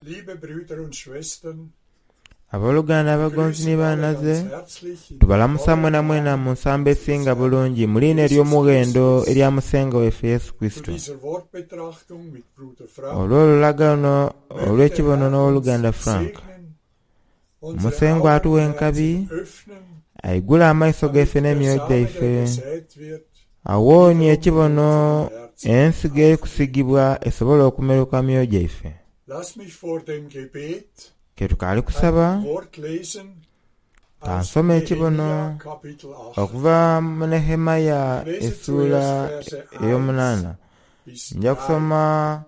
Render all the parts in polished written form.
Liebe Brüder und Schwestern, Abooluganda abagonzi ni baanaze, tubalamusa mwenamwena mu nsambo esinga bulungi mu liina ery'omughendo erya Musengwa waife Yesu zu Kurisito. dieser Wortbetrachtung mit Bruder Frank Olw'olulagano möge der olw'ekibono Herr uns n'owoluganda Frank, segnen, unsere Musengwa Augen atuwe und enkabi, Herzen öffnen, aigule amaiso gaife damit der n'emyoyo Same, der gyaife, gesät wird, awonie wiederum in ekibono unseren Herzen ensigo erikusigibwa esobole okumeruka myoyo gyaife. Lass mich vor dem Gebet Ke tukaali ein kusaba, Wort lesen aus kansome ekibono Nehemia Kapitel 8. okuva mu Nehemaya Ich lese essuula zuerst Verse 1 ey'omunaana. bis Nja 3. kusoma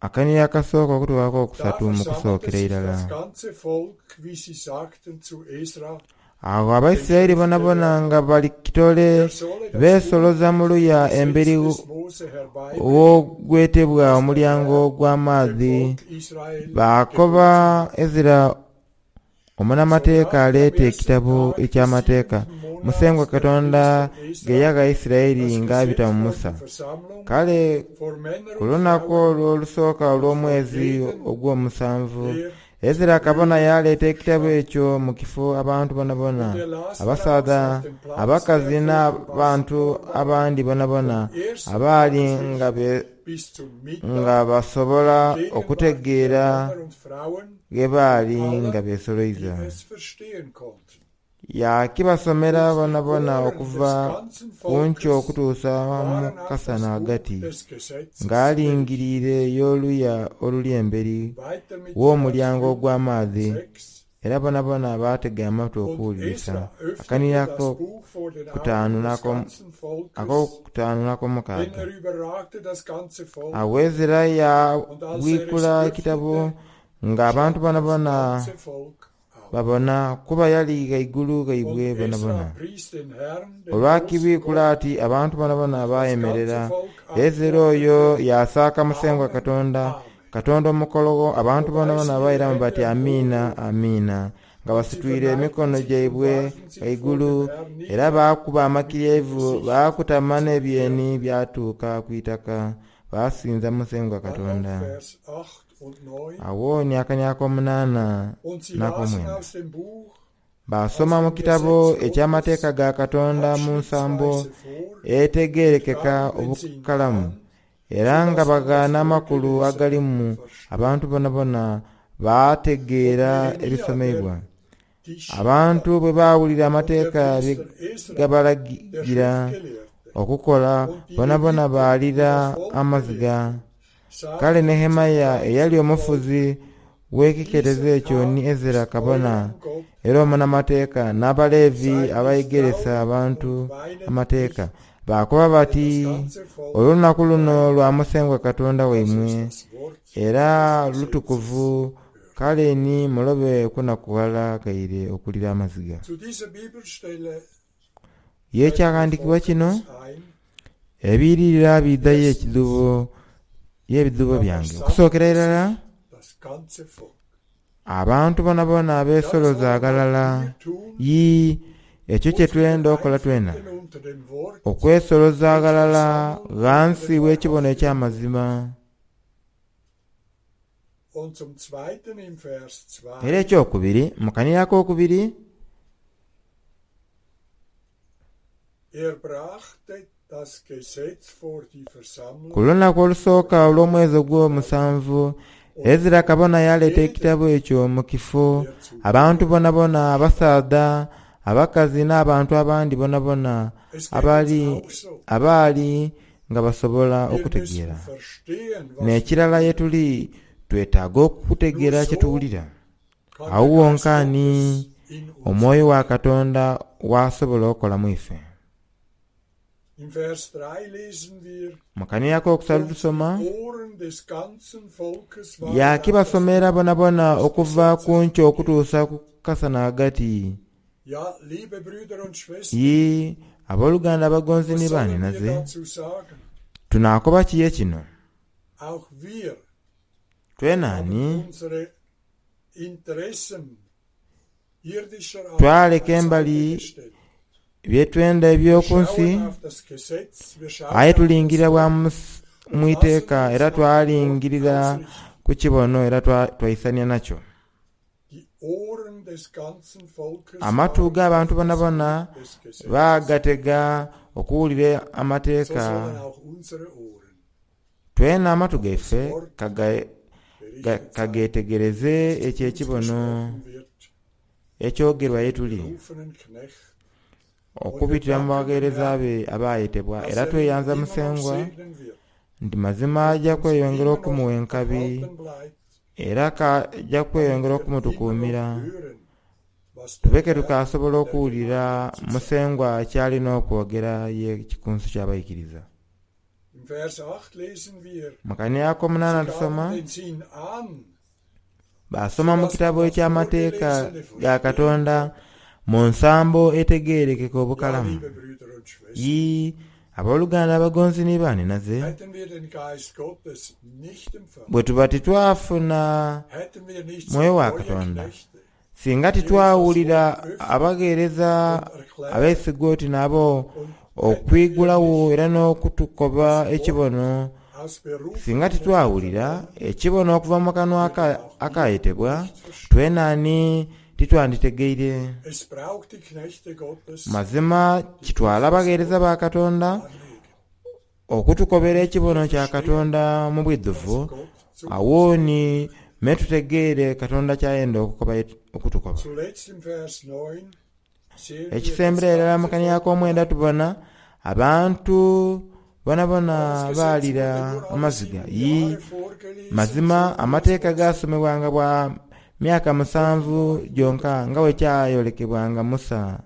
akaniiro akasooka okutuukako Da okusatu mu versammelte kusookera sich irala. das ganze Volk, wie sie sagten zu Esra, Agho dem Abaisiraeli bonabona Schriftgelehrten, nga bali kitole er solle das Buch beesoloza mu des luya Gesetzes emberi des Mose herbeibringen, w'ogwetebwa das der omulyango Herr dem gw'amaadhi. Volk Israel Baakoba geboten hat. Ezira So omunamateeka brachte am aleete ersten ekitabo Tag des eky'amateeka siebenten Monats Musengwa der Katonda Priester ge Esra yagha Isiraeli das ng'abita Gesetz mu vor Musa. die Versammlung, Kale vor Männer ku und lunaku Frauen olwo olusooka und vor olw'omwezi jedem, ogw'omusanvu, der Ezira zu kabona hören yaaleeta ekitabo verstand. ekyo mu kifo abantu bonabona, Und er las daraus abasaadha, auf dem Platz, der abakazi vor dem n'abantu Wassertor war, abandi bonabona vom ersten abaali nga Tageslicht be bis zum nga Mittag, basobola Gegenwart der okutegeera Männer und Frauen ghe und baali nga aller, die beesoloiza. es verstehen konnten. Yakibasomera Und die bonabona Ohren des okuva ganzen ku nkyo Volkes okutuusa mu waren auf das kasana Buch ghagati, des Gesetzes ng'alingiriire gerichtet. y'oluya oluli emberi Weiter mit Vers w'omulyango 5 und ogw'amaadhi, 6. era bonabona baatega amatu Und okuwulirisa. Esra öffnete Akaniiro das Buch vor den akokutaanu Augen des ganzen Volkes, akokutaanu denn n'akomukaaga. er überragte das ganze Volk. Awo Ezera Und als er es yabwikula ekitabo öffnete, ng'abantu stand das bonabona ganze Volk auf. babona kuba yali ghaigulu Und ghaibwe Esra bonabona. pries den Herrn, den großen Olwakibwikula Gott, ati abantu bonabona und das ganze baayemerera. Volk Ezera oyo antwortete, yasaaka Musengwa Amen, Katonda, Amen. Katonda omukologho, abantu So bonabona weisen ihre bairamu Hände bati empor amiina, amiina, nga und sie basitwire verneigten emikono sich und gyaibwe warfen sich vor ghaigulu, dem Herrn era nieder baakuba mit dem amakiryaivu, Gesicht baakutama zur n'ebyeni Erde. byatuuka ku itaka, baasinza Musengwa Dann noch Katonda. Vers 8 und 9. Awo ni akaniiro ak'omunaana Und sie lasen n'akomwenda. aus dem Buch, Baasoma aus mu dem kitabo Gesetz eky'amateeka Gottes, ga Katonda mu nsambo abschnittsweise vor, etegeerekeka traten den Sinn obukalamu, an, era nga sodass man das bagaana amakulu Vorgelesene agalimu verstand. abantu bonabona Und baategeera Nehemia, der ebisomeibwa. Tischiter Abantu bwe baawulira und der amateeka bye Priester Esra, der gabalagira Schriftgelehrte, okukola, und die bonabona Leviten, die baalira das Volk amaziga. belehrten, Kale sagten zum Nehemaya eyali ganzen Volk, omufuzi w'ekiketezo dieser ekyo ni Tag Ezera ist kabona eurem Gott era heilig. omunamateeka n'Abaleevi Seid nicht abayegeresa traurig abantu und weinet amateeka nicht, baakoba denn bati das ganze Volk olunaku luno weint. lwa Musengwa Katonda Das waimwe ist das Wort era des Gesetzes. lutukuvu kale ni mulobe kunakuwala gaire okulira amaziga. Zu dieser Bibelstelle Ye fällt mir ekyawandiikibwa kino Folgendes ein. ebiyiririra biidhayo Erstens, ekidhubo y'ebidhubo da byange. Okusookera versammelte irala sich das ganze Volk. abantu bonabona Das abeesoloza wollen auch aghalala wir tun, yii ekyo kye uns twenda wieder okola twena einfinden unter dem Wort, okwesoloza uns aghalala versammeln unter ghansi dem w'ekibono wahrhaftigen eky'amazima. Und zum Zweiten im Vers Era 2, ekyokubiri mu kaniiro akookubiri er brachte das Gesetz vor die ku Versammlung lunaku olusooka vor Männer olw'omwezi und Frauen ogw'omusanvu und Ezera vor kabona yaleeta jedem, ekitabo ekyo mu kifo der zu abantu hören bonabona verstand. abasaadha abakazi n'abantu abandi bonabona Es geht uns abaali auch so. abaali nga basobola Wir müssen okutegeera. verstehen, was wir N'ekirala ye hören. tuli twetaaga Nur okutegeera kye so tuwulira. kann Awo der Geist wonka ni Gottes in uns omwoyo wa wirken. Katonda w'asobola okukolamu ife. Im Vers 3 lesen wir, Mu kaniiro akookusatu und die tusoma Ohren des ganzen Volkes waren auf das yakibasomera Buch bonabona des okuva ku Gesetzes nkyo okutuusa gerichtet. ku kasana ghagati. Ja, liebe Brüder und Schwestern, Yii abooluganda abagonzi was ni sollen wir baaninaze dazu sagen? tunaakoba kiye kino Auch wir twenaani haben unsere Interessen irdischer Art twaleka beiseite embali gestellt. bye twenda Wir eby'oku nsi schauen auf das Gesetz, wir schauen aye auf das tulingirira bwa Wort mu und lassen iteeka uns era nach dem Wort twalingirira ausrichten. ku kibono era twaisania nakyo. Die Ohren des ganzen Volkes Amatu waren g'abantu auf das bonabona Buch des Gesetzes. baagatega okuwulira So amateeka. sollen auch unsere Ohren Twena amatu gaife berichtet sein, kagetegereze was ekyo zu uns ekibono gesprochen wird, ekyogerwa ye tuli berufenen Knecht, okubitira mu bagheereza be abaayetebwa. dass Era er ihn tweyanza immer noch Musengwa segnen wird, nti mazima ajja uns kweyongera immer noch okumuwa enkabi erhalten bleibt, era kajja damit kweyongera wir immer okumutukuumira noch hören, was der tubeke Herr tukasobola der okuwulira Gemeinde zu sagen Musengwa ky'alina okwogera ye kikunsu ky'abayigiriza. Im Vers 8 lesen wir, Mu kaniya ak'omunaana sie gaben tusoma den Sinn an, baasoma mu sodass man kitabo das eky'amateeka Vorgelesene ga verstehen Katonda konnte. mu nsambo etegeerekeka Ja, obukalamu. liebe Brüder und Schwestern, Yi abooluganda abagonzi ni baaninaze hätten wir den Geist Gottes nicht empfangen, bwe tuba titwafuna hätten wir nicht mwoyo so wa treue Katonda Knechte, singa die uns das titwawulira Wort öffnen abagheereza und erklären, abeesigwa oti nabo und hätten wir okwigulawo nicht era n'okutukoba das Wort ekibono aus singa berufenen Mund titwawulira vernommen, ekibono okuva mu kanwa würden auch wir akayetebwa nicht verstehen. twenaani titwanditegeire. Es braucht die Knechte Gottes, Mazima die uns kitwala das abagheereza Wort ba Katonda darlegen, okutukobera damit ekibono wir kya verstehen, Katonda mu was bwidhuvu Gott zu uns awooni sprechen me tutegeere Katonda ky'ayenda okutukoba. Zuletzt im Vers 9 sehen wir das Ekisembera irala mu ganze kaniya Volk ak'omwenda weinen. tubona abantu bonabona Aber das Gesetz baalira wurde nur alle amaziga. sieben Yi Jahre vorgelesen, mazima so wie es amateeka Mose gaasomebwanga bwa myaka 7 offenbart gyonka wurde. nga bwe kyayolekebwanga Musa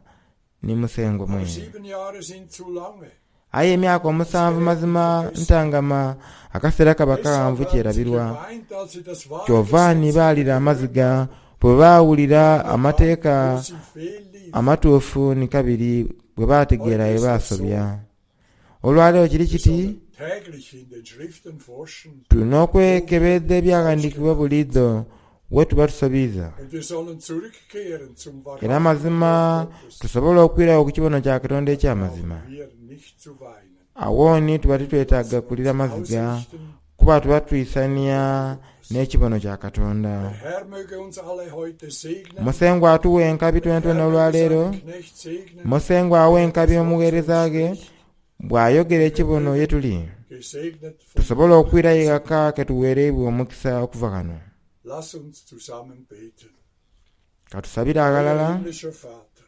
ni Musengwa Aber mwene. 7 Jahre sind zu lange. Aye emyaka Das 7 gerät in mazima Vergessenheit. ntangama akaseera kaba Deshalb kawanvu haben sie kyerabirwa. geweint, als sie das wahre Kyova ni Gesetz baalira gehört amaziga haben bwe baawulira und erkannt, wo amateeka sie fehlliefen. amatuufu ni kabiri bwe baategeera Heute bye ist es so, baasobya. Olwaleero kiri wir kiti sollen täglich in den Schriften forschen, tulina wo wir okwekebedda falsch ebyaghandiikibwa gemacht buliidho we tuba tusobiiza. Und wir sollen zurückkehren zum Era wahrhaftigen mazima Wort Gottes. tusobole okwirawo ku kibono kya Katonda Dann eky'amazima. brauchen wir nicht zu weinen. Awooni tuba titwetaaga Lassen kulira uns maziga ausrichten kuba tuba twisania Gottes. n'ekibono kya Katonda. Der Herr möge uns alle heute segnen. Musengwa atuwa enkabi Der Herr twenatwena möge olwaleero. seinen Knecht segnen, Musengwa awa der enkabi das Wort zu uns omuweereza ge spricht. bw'ayogera Wir ekibono ye mögen tuli gesegnet von tusobole ihm okwirayo sein. ghaka ketuweereibwe omukisa okuva ghano. Lass uns zusammen beten. Katusabire Euer aghalala. himmlischer Vater,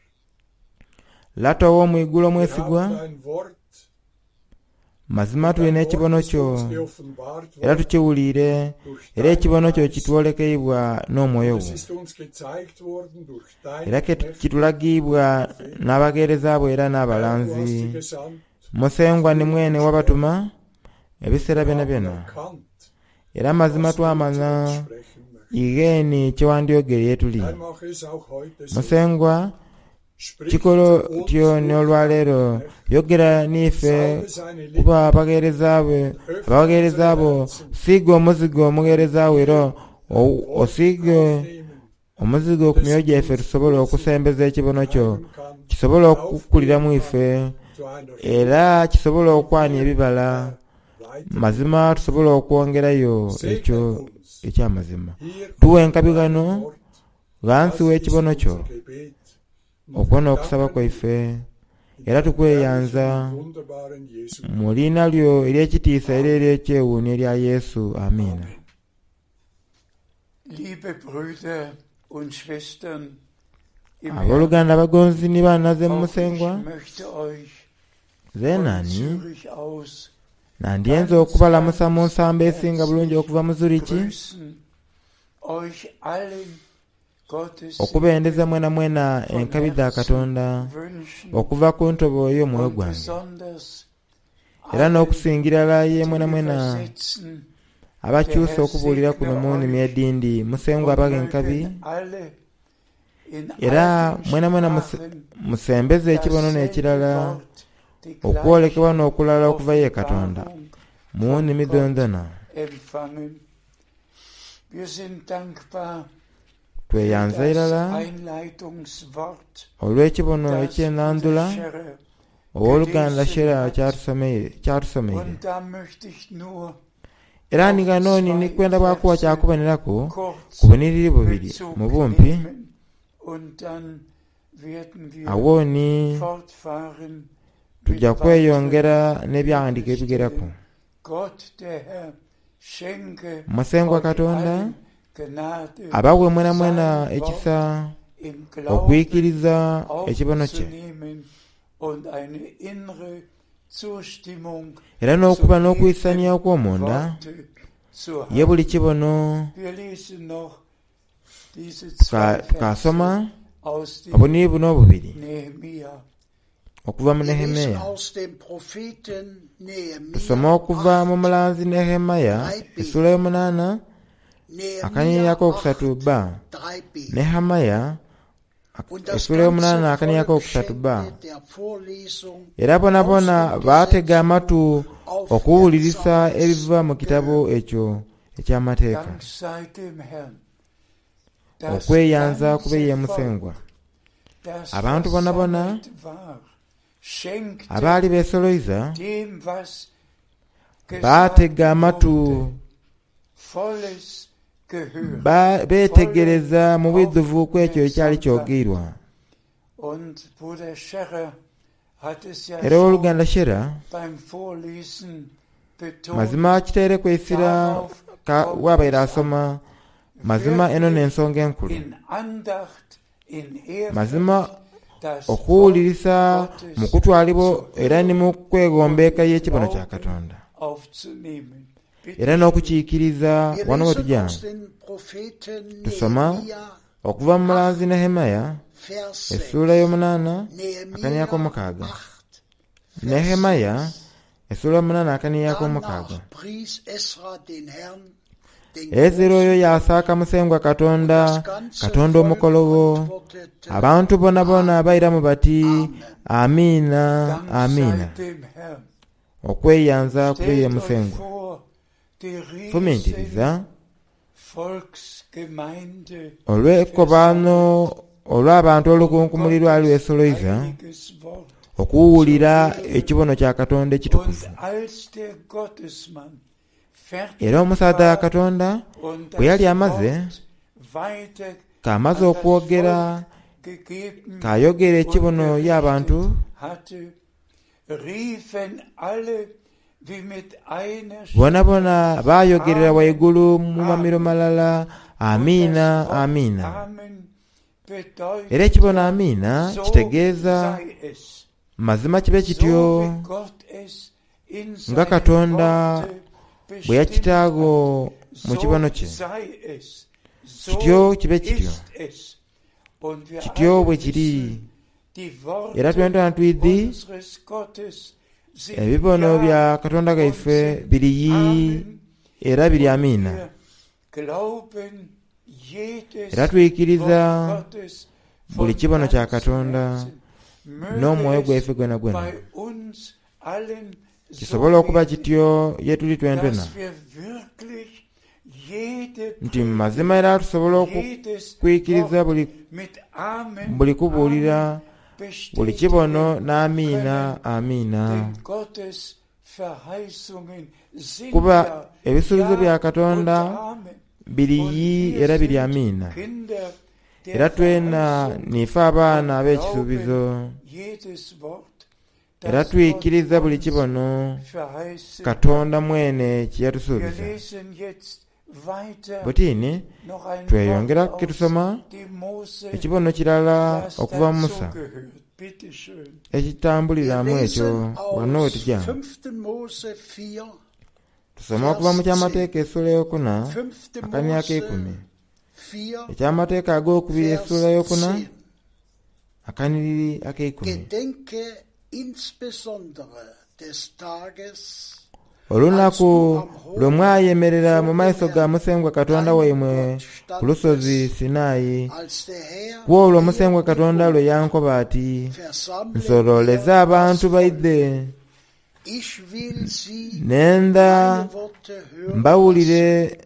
Lata ow'omwigulu wir omwesigwa haben dein Wort mazima und tulina dein Wort ekibono ist kyo uns geoffenbart era worden tukiwuliire durch era deinen ekibono kyo Geist kitwolekeibwa n'omwoyo und es gwo ist uns gezeigt worden durch era deine ke Knechte kitulagibwa und Propheten. n'abagheereza bo era Herr, du hast n'abalanzi. sie gesandt, Musengwa zu ni mwene uns wabatuma sprechen. ebiseera Wir byona haben byona erkannt, era mazima was du zu uns twamanya sprechen möchtest. igheeni kyewandyogere ye tuli. Herr, mache es auch heute so. Musengwa Sprich kikolo zu uns tyo durch deinen n'olwaleero Knecht. yogera n'ife Salbe seine kuba Lippen abagheereza be und öffne abagheereza unsere bo Herzen, siiga omuzigo omuweereza wo era damit wir dein Wort osiige aufnehmen omuzigo ku und es myoyo in gyaffe uns tusobole Wurzeln okusembeza ekibono kyo treiben kann, kisobole okukuliramu aufgehen ife kann zu einer era Frucht, kisobole die okwania dir, ebibala Herr, weitergeben. mazima tusobole okwongerayo ekyo Segne uns eky'amazima. hier Tuwe unter enkabi deinem ghano Wort. ghansi Das ist w'ekibono kyo unser Gebet. Und okwo wir n'okusaba danken dir kwaife in era deinem herrlichen tukweyanza und wunderbaren Jesu mu Namen. liina lyo ery'ekitiisa era Amen. ery'ekyewuunyo erya Yesu. Amiina. Amen. Liebe Brüder und Schwestern im Herrn, Abooluganda abagonzi ni baanaze mu auch ich Musengwa möchte euch von zeenani Zürich aus nandyenze ganz, okubalamusa mu ganz nsambo esinga bulungi herzlich okuva mu Zuriki grüßen, euch allen Gottes okubendeza Segen mwena mwena von enkabi dha Herzen Katonda wünschen okuva ku ntobo y'omwoyo und gwange besonders era allen, n'okusingirala ye die mwena mwena übersetzen, der abakyusa Herr okubuulira segne kuno mu nnimi euch edindi Musengwa und abaga enkabi mögen alle in era allen mwena mwena Sprachen musembeze ekibono dasselbe n'ekirala Wort, die gleiche okwolekebwa n'okulala okuva ye Katonda Offenbarung mu von nnimi Gott dhondhona. empfangen. Wir sind dankbar für Tweyanza das irala Einleitungswort, olw'ekibono das eky'ennandula Bruder Scherer owooluganda gelesen Shera hat. kyatusomeire. Und da möchte ich nur Era ni auf ghano ni zwei ndikwenda bwakuwa Verse kyakuboneraku kurz ku buniriri bubiri Bezug mu bumpi nehmen und dann werden wir awo ni fortfahren mit tujja weiteren kweyongera n'ebyawandiiko ebigeraku. Bibelstellen. Gott, der Herr, schenke Musengwa euch Katonda allen Gnade, abawe mwenamwena sein Wort ekisa im Glauben okwikiriza ekibono kye aufzunehmen und eine innere Zustimmung era zu n'okuba n'okwisania jedem okw'omunda Worte zu ye haben. buli kibono Wir lesen noch diese zwei Verse tukasoma aus dem obuniri buno obubiri Nehemia. okuva mu Wir lesen Nehemiya. aus dem Propheten Nehemia Tusoma okuva mu 8, mulanzi Nehemiya 3b. essula y'omunaana akanyiriri Nehemia akokusatu 8, bba 3b. Nehemiya Und das essula ganze y'omunaana akanyiriri Volk akokusatu bba schenkte der Vorlesung era aus bonabona dem baatega Gesetzbuch amatu okuwulirisa aufmerksames ebiva mu kitabo Gehör. ekyo eky'amateeka. Dank sei dem Herrn, das Okweyanza kube ganze ye Volk, Musengwa. das Abantu bonabona versammelt war, schenkte abaali beesoloiza dem, was gesagt baatega amatu wurde, volles Gehör, volle beetegereza mu bwidhuvu ku ekyo ekyali Aufmerksamkeit. kyogeirwa. Und Bruder Scherer hat es ja Era schon owooluganda Shera beim Vorlesen betont, mazima kiteereku essira darauf kommt waabaire es an. asoma mazima eno Wirklich n'ensonga enkulu. in Andacht, in Mazima Ehrfurcht das Wort okuwulirisa mu Gottes kutwalibwa zu era ni hören mu kwegomba und eka im y'ekibono kya Glauben Katonda aufzunehmen. era Bitte schön. n'okukiikiriza Wir wano we lesen tujja aus dem Propheten tusoma Nehemia okuva mu 8, mulanzi Nehemiya Vers essuula 6. y'omunaana akanira Nehemia ak'omukaaga. 8, Vers Nehemiya 6. essuula y'omunaana akanira ak'omukaaga. Danach pries Esra den Herrn, den Ezera oyo großen Gott, yasaaka Musengwa und Katonda, das ganze Katonda Volk omukologo. antwortete Abantu bonabona Amen. bairamu bati Amen. amiina Dank sei amiina. dem Herrn. Okweyanza kube ye Stellt euch Musengwa. vor, die riesen Fumiintiriza Volksgemeinde olw'ekkobaano versammelt, olw'abantu um olukunkumuli lwali Gottes lwesoloiza heiliges Wort zu okuwulira hören. ekibono kya Katonda ekitukuvu. Und als der Gottesmann fertig Era omusaadha wa war Katonda und bwe yali das amaze Wort weiter k'amaze an das okwogera Volk gegeben k'ayogera und ekibono y'abantu berichtet hatte, riefen alle wie mit einer bona Stimme, bona baayogerera Amen, waigulu mu mamiro Amen. malala Und das amiina Wort amiina. Amen Era bedeutet ekibono ja, amiina so kitegeeza sei es, mazima kibe so kityo wie Gott es in nga seinem Katonda Worte bwe bestimmt hat, yakitaago mu kibono so kye. sei es, so Kityo kibe kityo, ist es. Und wir kityo alle bwe kiri. wissen, die Era Worte twena twidhi unseres Gottes sind ebibono Ja bya Katonda und gaife sind biri yi Amen. era biri Und amiina. wir glauben Era jedes twikiriza Wort Gottes buli von kibono kya ganzem Katonda Herzen. Möge n'omwoyo es gwaife gwena gwena. bei uns allen so Kisobole okuba werden, kityo ye tuli twentwena dass wir wirklich jede nti mu Predigt, mazima era tusobole jedes okukwikiriza Wort buli mit Amen, buli kubuulira Amen buli kibono bestätigen n'amiina können. amiina. Denn Gottes Verheißungen sind Kuba ja ebisuubizo Ja bya und Katonda Amen. biri Und yi wir era biri sind amiina. Kinder der Era twena Verheißung nife abaana und ab'ekisuubizo glauben jedes Wort, era das Gott twikiriza buli uns kibono verheißen hat. Katonda mwene kye Wir yatusuubiza. lesen jetzt weiter Butiini noch ein Wort tweyongera aus ketusoma dem Mose, ekibono kirala das okuva mu Musa dazugehört. Bitte schön. Wir ekitambuliramu ekyo lesen wano we aus tujja. 5. Mose 4, Tusoma okuva mu Vers 10. kyamateeka essula eyokuna 5. akanya Mose ak'ekumi. 4, Ekyamateeka ag'okubiri Vers essula eyokuna 10. akaniriri ak'eikumi. Gedenke insbesondere des Tages, als du Olunaku am lwe Horeb mwayemerera mu vor dem maiso ga Herrn, Musengwa Katonda deinem waimwe Gott, ku lusozi standest, Sinaayi, als der Herr ku olwo dir Musengwa Katonda lwe gebot, yankoba ati, versammle nsololeze mir das abantu Volk. baidhe, Ich will sie nenda meine Worte hören mbawulire lassen,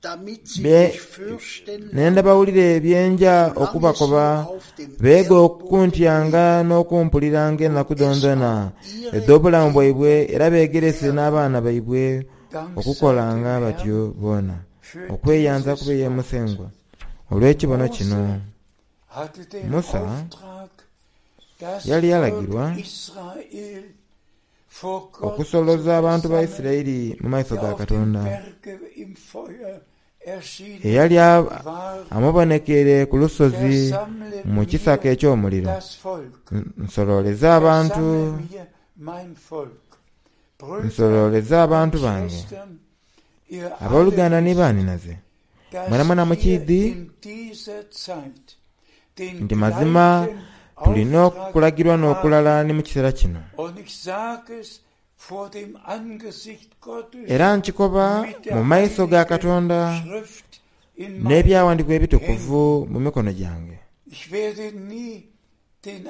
damit sie bye mich fürchten nenda lernen, bawulire byenja solange sie okubakoba auf dem beege Erdboden okuntyanga leben n'okumpuliranga und ennaku es dhonadhona an ihre edh'obulamu bwaibwe Kinder era beegerese lernen. n'abaana baibwe. Dank sei okukolanga dem batyo Herrn boona. für Okweyanza dieses kube ye Wort. Musengwa olw'ekibono kino. Mose hatte den Musa Auftrag, das yali Volk yalagirwa Israel vor Gott zu okusoloza abantu ba versammeln, Isirayiri mu maiso der ga auf dem Katonda. Berge im Feuer erschienen Eyali war. amubonekere ku lusozi Versammle mu kisaka mir eky'omuliro. das Volk. Nsololeze abantu, Versammle mir mein Volk. Brüder nsololeze abantu und bange. Schwestern, ihr alle Abooluganda ni wisst, baaninaze, dass mwenamwena wir mukiidhi in dieser Zeit den nti mazima gleichen tulina Auftrag okulagirwa haben. n'okulala ni mu kiseera kino. Und ich sage es vor dem Angesicht Gottes Era nkikoba mit mu der maiso ga Heiligen Katonda Schrift in meinen n'ebyawandiikibwa Händen. ebitukuvu mu mikono gyange. Ich werde nie den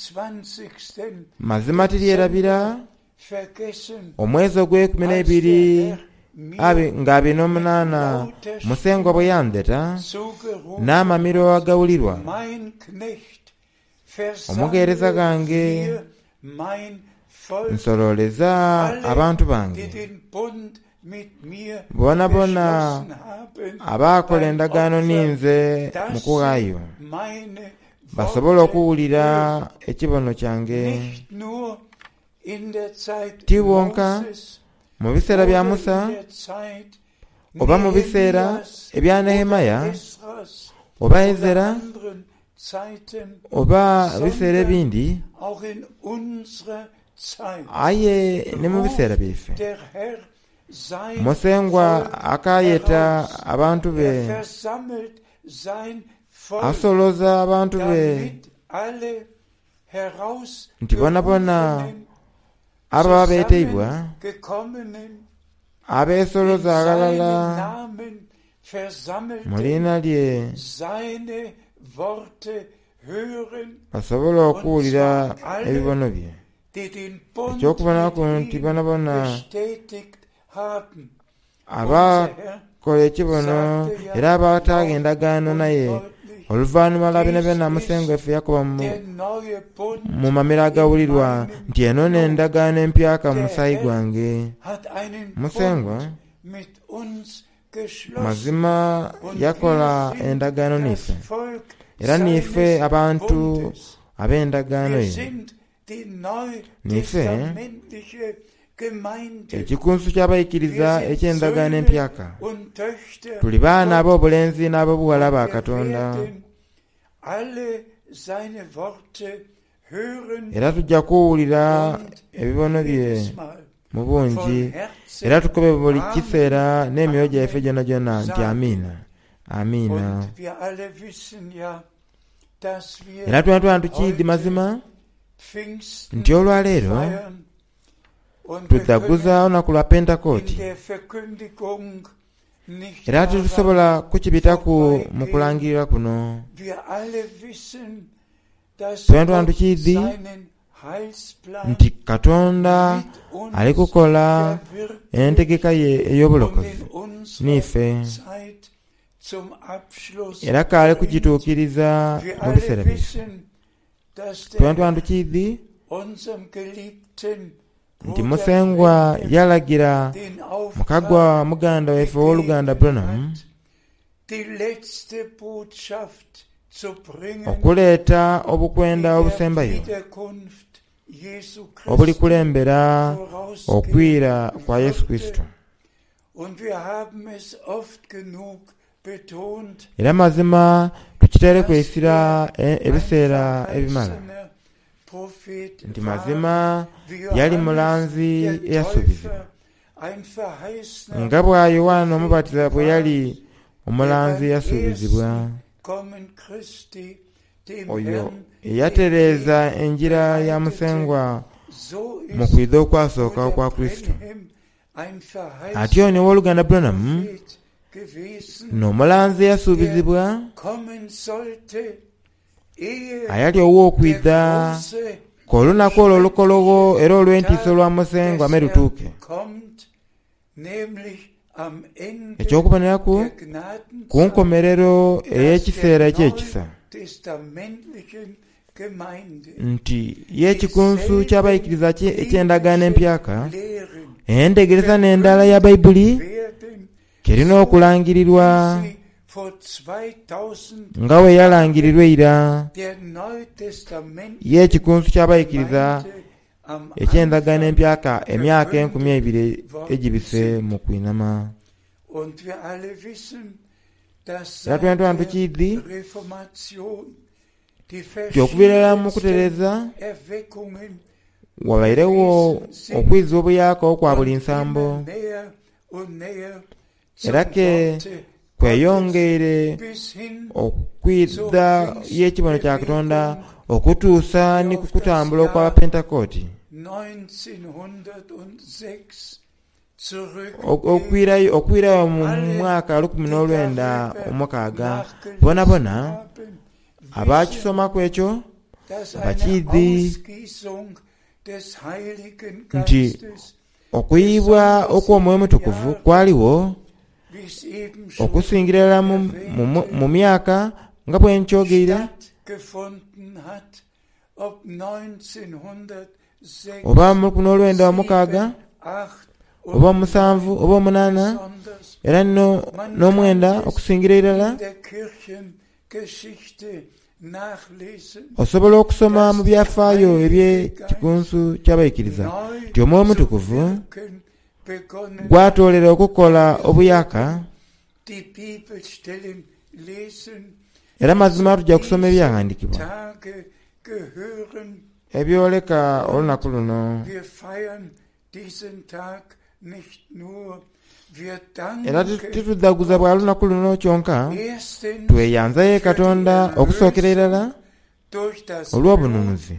28. Mazima tiryerabira Dezember vergessen, omwezi ogw'ekumi als der n'ebiri Herr mir nga abiri mit n'omunaana lauter Musengwa bwe Stimme yandheta zugerufen n'amamiro hat, agawulirwa mein Knecht, omugheereza versammle gange mir mein Volk, nsololeza alle, abantu die bange den Bund mit mir bonabona geschlossen haben abaakola beim endagaano Opfer, ninze mu dass sie kughaayo meine basobole Worte okuwulira hören. ekibono kyange. Nicht nur in der Zeit Ti wonka Moses mu biseera bya oder in Musa der Zeit oba mu biseera Nehemias ebya oder Nehemaya Esras oba oder Ezera anderen Zeiten, oba biseera sondern ebindi auch in unserer Zeit aye ne mu biseera ruft byaife. der Herr sein Musengwa Volk akaayeta heraus. abantu Er be, versammelt sein Volk, asoloza abantu be damit alle nti bonabona herausgerufenen, ababa beeteibwa zusammengekommenen, in abeesoloza seinem aghalala Namen mu versammelten, liina lye seine Worte hören, basobole und okuwulira zwar alle, ebibono bye. die den Bund Ekyokubonaku mit nti ihm bonabona bestätigt haben. Unser Herr abakola ekibono sagte ja era abataaga laut endagaano und naye deutlich, oluvannyuma lwa bino dies byonna ist Musengwa waffe yakoba der neue Bund mu mamiro in agawulirwa meinem nti eno Blut. n'endagaano empyaka mu Der musaayi Herr gwange. hat einen Musengwa Bund mit uns geschlossen mazima und wir yakola sind endagaano das niffe Volk era nife seines abantu Bundes. ab'endagaano Wir ye. sind die Nife neutestamentliche Gemeinde. ekikunsu ky'abayikiriza Wir sind eky'endagaano Söhne empyaka. und Töchter Tuli baana Gottes ab'obulenzi n'ab'obuwala und ba wir Katonda werden alle seine Worte hören era tujja kuwulira und ebibono bye jedes Mal mu bungi von era Herzen tukobe buli Amen, kiseera n'emyoyo gyaffe Amen gyona gyona nti sagen. amiina amiina. Und wir alle wissen ja, dass wir Era twena twena tukiidhi heute mazima Pfingsten nti olwaleero feiern und wir tujaguza können olunaku lwa in Pentekooti der Verkündigung nicht era daran tetusobola kukibitaku mu vorbeigehen. kulangirira kuno. Wir alle wissen, dass Twena twena Gott tukiidhi seinen Heilsplan nti Katonda mit ali uns kukola entegeka verwirklicht ye und ey'obulokozi in unserer niife Zeit zum Abschluss era kaali bringt. kugituukiriza Wir mu alle biseera byaife. wissen, dass der Twena twena Herr tukiidhi unserem geliebten nti Bruder Musengwa Branham yalagira den mukagwa Auftrag muganda waife ow'oluganda gegeben Branham hat, die letzte Botschaft zu bringen, okuleeta die obukwenda der obusembayo Wiederkunft Jesu Christi obulikulembera vorausgehen okwira kwa Yesu würde. Kristo. Und wir haben es oft genug betont, Era mazima tukiteereku dass essira er ein ebiseera ebimala verheißener Prophet nti war, mazima wie yali Johannes mulanzi der eyasuubizibwa Täufer ein verheißener nga bwa Yowaana Prophet Omubatiza bwe war, yali der omulanzi beim eyasuubizibwa ersten Kommen Christi dem oyo Herrn den eyatereeza Weg enjira ya bereitete. Musengwa So mu ist kwidha okwasooka Bruder okwa Kristo. Branham ein Atyo verheißener ne owooluganda Branham Prophet gewesen, n'omulanzi der eyasuubizibwa kommen sollte, ehe ayali der ow'okwidha große, k'olunaku olwo olukologo schreckliche era olw'entiisa Tag olwa Musengwa des me Herrn lutuuke. kommt, nämlich am Ende Eky'okuboneraku der ku Gnadenzeit, nkomerero dass ey'ekiseera der eky'ekisa neutestamentlichen Nti ye ekikunsu ky'abaikiriza eky'Endagaano Empyaka, endhegeresa n'endala ya Baibuli kirina okulangirirwa nga bwe yalangirirwa eira. Ye ekikunsu ky'abaikiriza eky'Endagaano Empyaka emyaka 2000 egibise mu kwinhama. Era twenatwena tukiidhi nti okuviira irala mu kutereeza wabairegho okwiza obuyaaka okwa buli nsambo era ke kweyongeire okwidha y'ekibono kya Katonda okutuusa ni ku kutambula okw'Abapentekooti. Okwirayo mu mwaka 1906, bonabona abaakisomaku ekyo bakiidhi nti okuyibwa okw'Omwoyo Omutukuvu kwaligho okusingira irala mu myaka nga bwe nkyogeire. Oba mu 1906, oba omusanvu, oba omunaana, era n'omwenda okusingira irala. Osobola okusoma mu byafaayo eby'Ekikunsu ky'Abaikiriza nti Omwoyo Omutukuvu gwatoolera okukola obuyaaka. Era mazima tuja kusoma ebyaghandikibwa ebyoleka olunaku luno. Era titudhaguza bwa lunaku luno kyonka, tweyanza ye Katonda okusookera irala olw'obununuzi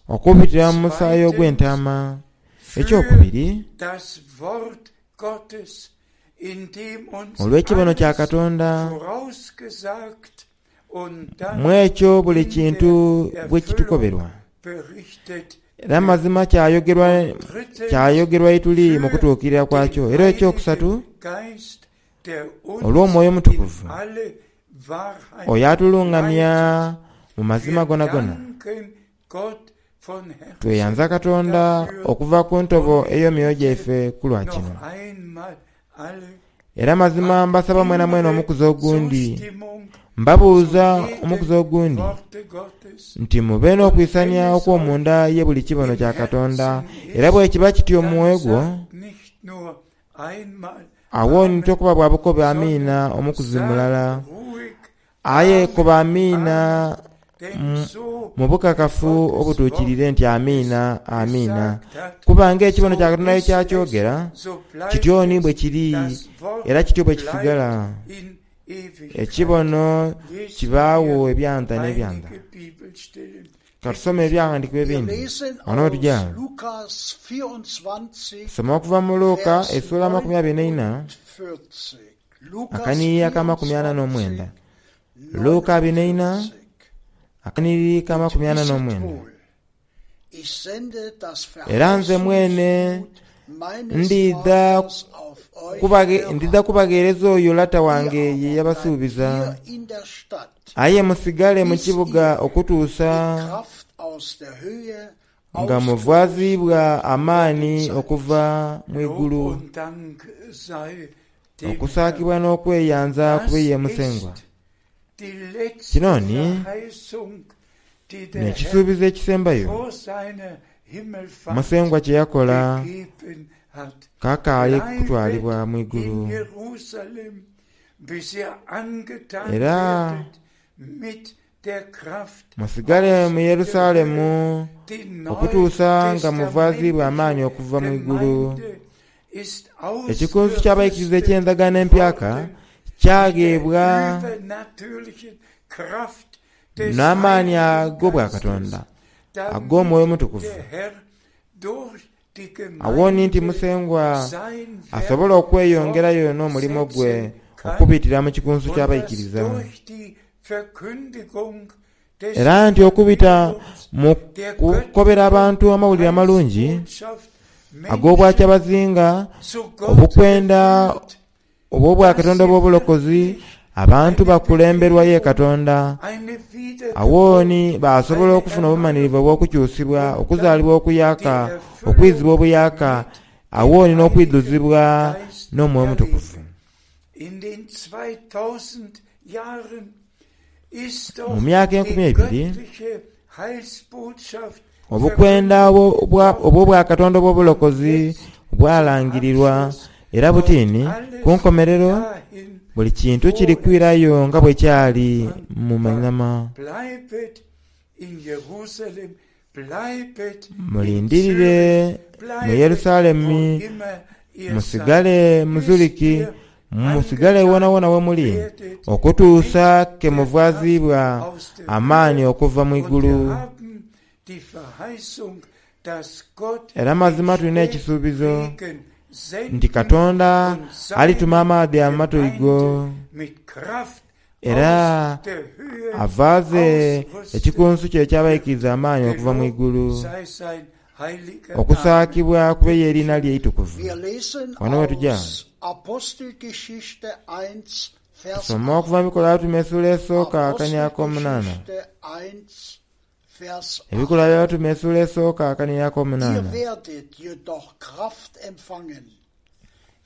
okubitira mu musaayi ogw'entaama. Ekyokubiri, Olw'ekibono kya Katonda, mu ekyo buli kintu bwe kitukoberwa. Era mazima kyayogerwa kyayogerwa ye tuli mu kutuukirira kwakyo. Era ekyokusatu, olw'Omwoyo Omutukuvu, oyo atulungamya mu mazima gonagona. Tweyanza Katonda okuva ku ntobo ey'emyoyo gyaife ku lwa kino. Era mazima mbasaba mwenamwena omukuzi ogundi, mbabuuza omukuzi ogundi, nti mube n'okwisania okw'omunda ye buli kibono kya Katonda, era bwekiba kityo mu mwoyo gwo, agho ni tokoba bwa bukobe Amiina omukuzi mulala, Aye koba amiina mu bukakafu obutuukiriire nti Amiina, Amiina. Kuba ng'ekibono kya Katonda bwe kyakyogera, kityo ni bwe kiri, era kityo bwe kisigala. Ekibono kibaagho ebyanda n'ebyanda. Ka tusome Ebyaghandiikibwa Wir ebindi lesen ghano we aus tuja. Lukas 24, Tusoma okuva mu Luka Vers esula 24 49. Lukas akanhiriri ak'amakumi ana n'omwenda. 24, Luka abiri n'eina 49. akanhiriri ak'amakumi Und ana wisset n'omwenda. wohl, ich sende das Era nze mwene Verheißungsgut meines ndidha Vaters auf euch kubaghe ndidha herab. kubagheereza oyo Lata Ihr wange ye aber bleibt yabasuubiza. hier in der Stadt, Aye musigale mu bis kibuga ihr okutuusa in Kraft aus der Höhe nga ausgerüstet muvaziibwa worden amaani seid. okuva mu Lob igulu. und Dank sei dem Okusaakibwa Herrn. n'okweyanza kube Das ye Musengwa. ist die letzte Kino ni Verheißung, die der Herr n'ekisuubizo ekisembayo vor seiner Himmelfahrt Musengwa kye yakola gegeben hat. kakaali Bleibet kutwalibwa mu in igulu. Jerusalem, bis ihr angetan Era werdet mit der Kraft musigale aus mu der Höhe. Yerusalemu Die okutuusa nga muvaziibwa amaani neutestamentliche okuva mu igulu. Gemeinde ist Ekikunsu ky'abaikiriza ausgerüstet eky'Endagaano Empyaka worden mit der kyagheebwa übernatürlichen Kraft des n'amaani Heiligen ag'Obwakatonda Geistes, ag'Omwoyo damit Omutukuvu. der Herr durch die Agho ni nti Gemeinde Musengwa sein asobola Werk okweyongerayo n'omulimo gwe fortsetzen kann okubitira mu kikunsu und dass ky'abaikiriza. durch die Verkündigung des Era nti okubita Evangeliums mu der kukobera göttlichen abantu amawulire amalungi Heilsbotschaft Menschen ag'Obwakyabazinga, zu Gott obukwenda geführt, dass obw'Obwakatonda sie obw'obulokozi, wirklich Abantu Eine bakulemberwa ye Bekehrung, Katonda. eine Awooni Wiedergeburt, baasobola eine okufuna obumanirivu Erneuerung obw'okukyusibwa, und okuzaalibwa dann die okuyaka, Erfüllung okwizibwa obuyaka, mit dem awooni Heiligen n'okwidhuzibwa Geist n'Omwoyo Omutukuvu. erleben. In den 2000 Jahren ist Mu doch myaka die 2000, göttliche Heilsbotschaft obukwenda verkündigt obw'obwakatonda worden und obw'obulokozi jetzt zum bwalangirirwa Abschluss era kommt butini ku alles nkomerero dahin, buli kintu kiri wo es kwirayo nga bwe kyali am mu Anfang war. mainama. Bleibet in Jerusalem, bleibet in Mulindirire Zürich, mu bleibet wo Yerusalemu, immer ihr seid, musigale mu bis Zuriki, ihr musigale angetan wonawona we muli, werdet mit okutuusa ke der Kraft muvaazibwa aus der amaanyi Höhe. okuva mu Und igulu. wir haben die Verheißung, dass Gott Era den mazima tulina ekisuubizo Spätregen nti senden Katonda und alituma seine amaadhi amatoigo Gemeinde mit Kraft era aus der Höhe avaaze ausrüsten ekikunsu kye ekyabaikiriza amaanyi okuva mu wird. igulu. Gelobt sei sein heiliger Name. Okusaakibwa kubeyo eriina lye eitukuvu. Wir lesen Wano we tujja aus Apostelgeschichte 1, Vers tusoma 8. okuva mu bikolwa by'abatume essuula esooka akanya ak'omunaana. Apostelgeschichte 1, Vers 8. Ebikolwa by'abatume essuula esooka akanya Ihr ak'omunaana. werdet jedoch Kraft empfangen,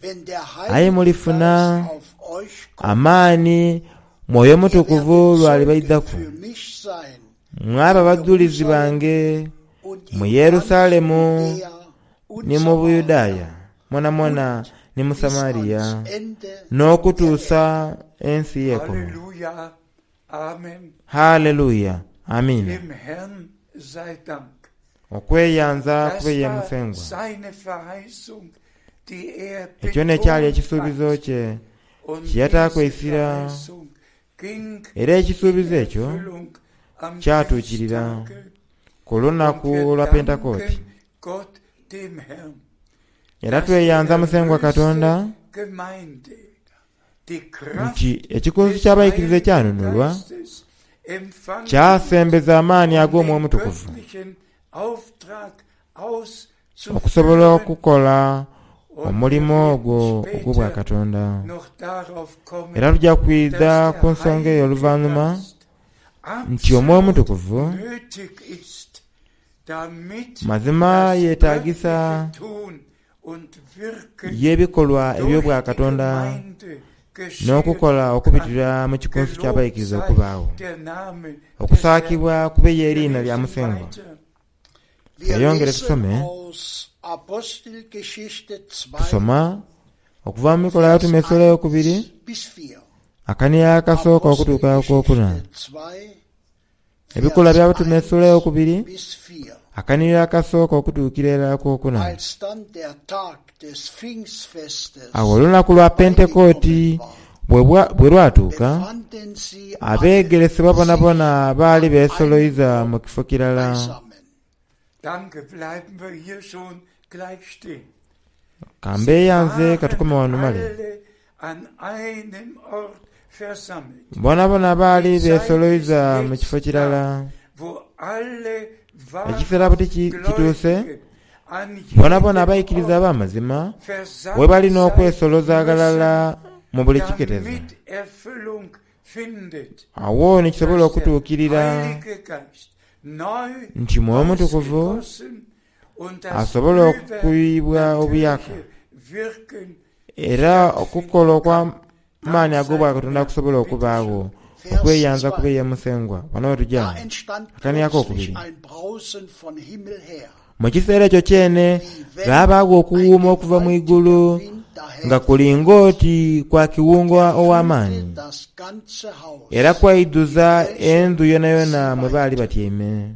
wenn der Aye Heilige mulifuna Geist auf euch kommt. amaanyi Mwoyo Ihr Mutukuvu werdet lwali Zeugen baidhaku. für mich sein Mwaba in bajulizi Jerusalem bange und mu in ganz Yerusalemu Judäa und ni mu Samaria Buyudaaya mwonamwona und ni mu bis Samariya ans Ende der Erde. n'okutuusa ensi y'ekoma. Halleluja, Amen. Haleluya, amiina. Dem Herrn sei Dank. Okweyanza Das kube ye war Musengwa. seine Verheißung, die er Ekyo n'ekyali betont ekisuubizo hat. kye Und kye yataako diese essira Verheißung ging era in ekisuubizo ekyo Erfüllung am kyatuukirira Pfingsttage. ku Und lunaku wir lwa Pentekooti. danken Gott, dem Herrn, Era dass die tweyanza Musengwa Katonda erlöste Gemeinde die Kraft nti ekikunsu des ky'abayigiriza Heiligen ekyanunulwa Geistes empfangen kyasembeza amaanyi um ag'Omwoyo den Omutukuvu göttlichen Auftrag okusobola auszuführen. okukola Und wir omulimu werden ogwo später ogw'obwakatonda. noch darauf kommen, Era tujja kwidha dass ku der nsonga eyo Heilige oluvannyuma Geist nti Omwoyo absolut Omutukuvu nötig ist, damit mazima das yeetaagisa göttliche Tun und Wirken y'ebikolwa durch die eby'obwakatonda Gemeinde geschehen n'okukola kann. okubitira mu kikunsu Gelobt ky'abayigiriza sei okubaawo. der Name des Herrn. Okusaakibwa kubeyo Wir eriina lya lesen Musengwa. weiter. Wir Tweyongere lesen tusome. aus Apostelgeschichte 2, Tusoma okuva mu bikolwa Vers by'abatume essuula 1 ey'okubiri bis 4. akaniya akasooka okutuuka ak'okuna. Apostelgeschichte 2, Ebikolwa Vers by'abatume essuula 1 ey'okubiri bis 4. akanira akasooka okutuukira erala ak'okuna. Als dann der Tag des Pfingstfestes Awo olunaku lwa Pentekooti beigekommen war, bwe bwa- bwe lwatuuka, befanden sie alle abeegeresebwa sich bonabona baali an einem beesoloiza Ort mu kifo kirala. beisammen. Danke, bleiben wir hier schon gleich stehen. Sie Kambeeyanze waren katukome wano male. alle an einem Ort versammelt. Bonabona baali Die Zeit ist beesoloiza mu kifo jetzt kirala. da, wo alle Ekiseera buti wahrhaft kituuse, Gläubigen an bonabona jedem abayigiriza Ort ab'amazima we versammelt balina sein okwesoloza aghalala müssen, mu buli kiketezo. damit Erfüllung findet, Awo ne kisobola dass der okutuukirira Heilige Geist neu nti Mwoyo Mutukuvu ausgegossen und das asobola okuyibwa obuyaka übernatürliche Wirken era okukola stattfinden kann. okw'amaanyi Dank sei ag'obwakatonda dem Herrn. kusobola Bitte okubaawo schön. Vers okweyanza 2. kube ye Musengwa. Wano we tujja Da entstand akaniako plötzlich okubiri. ein Brausen von Himmel her, Mu kiseera ekyo kyene wie wenn ghabaagho ein okuwuuma okuva mu igulu gewaltiger Wind nga daherfuhr kulinga oti kwa kiwunga und erfüllte ow'amaanyi das ganze Haus, era in kwaidhuza welchem endhu yonayona sie mwe baali weilten. batyaime.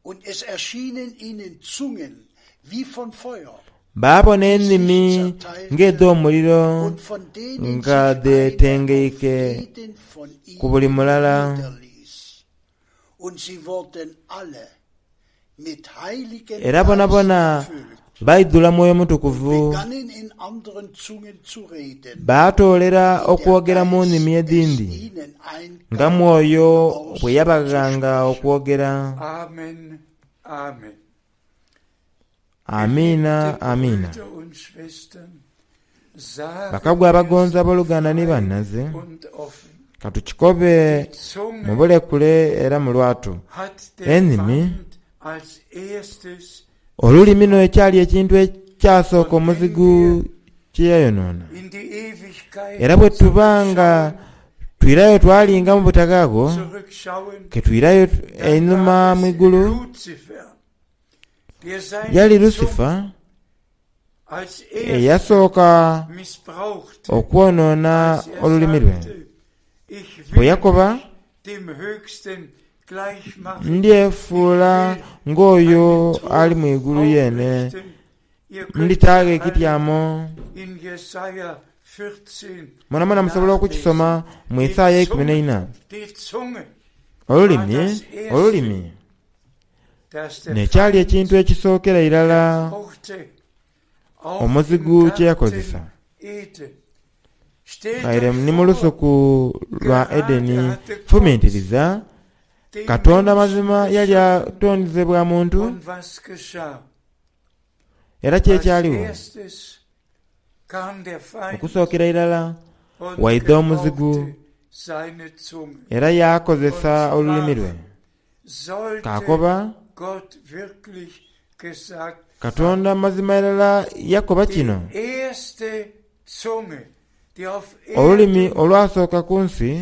Und es erschienen ihnen Zungen wie von Feuer, Baabona die sich ennimi zerteilten ng'edh'omuliro und von denen nga sich eine auf dhetengeike jeden von ku buli ihnen mulala. niederließ. Und sie wurden alle mit Heiligen Era Geist bonabona erfüllt baidhula Mwoyo und Mutukuvu begannen in anderen Zungen zu reden, baatoolera wie der okwogera mu Geist nnimi es edhindi ihnen nga eingab, Mwoyo bwe yabaghanga auszusprechen. okwogera. Amen. Amen. Amiina, Geliebte amiina. Brüder und Schwestern, sagen Bakagwa wir es abagonzi abooluganda ni frei bannaze, und offen. Ka tukikobe mu bulekule era mu lwatu. Enimi, olulimi n'ekyali ekintu ekyasooka omuzigu kye yayonoona. Era bwe tuba nga twirayo twalinga mu butaghaagho, ke twirayo einhuma mu igulu, yali Lusifa eyasooka okwonoona olulimi lwe, bwe yakoba, Ndyefuula ng'oyo ali mu igulu yeene, nditaagho ekityamo. Mwonamwona musobola okukisoma mu Isaaya eikumi n'eina. Olulimi, olulimi. N'ekyali ekintu ekisookera irala omuzigu kye yakozesa. Aye ni mu lusuku lwa Edeni, fumintiriza, Katonda mazima yali atonze bwa muntu? Era ki ekyaligho? Okusookera irala waidha omuzigu era yaakozesa olulimi lwe. Kaakoba, Katonda mazima irala yakoba kino? Olulimi olwasooka ku nsi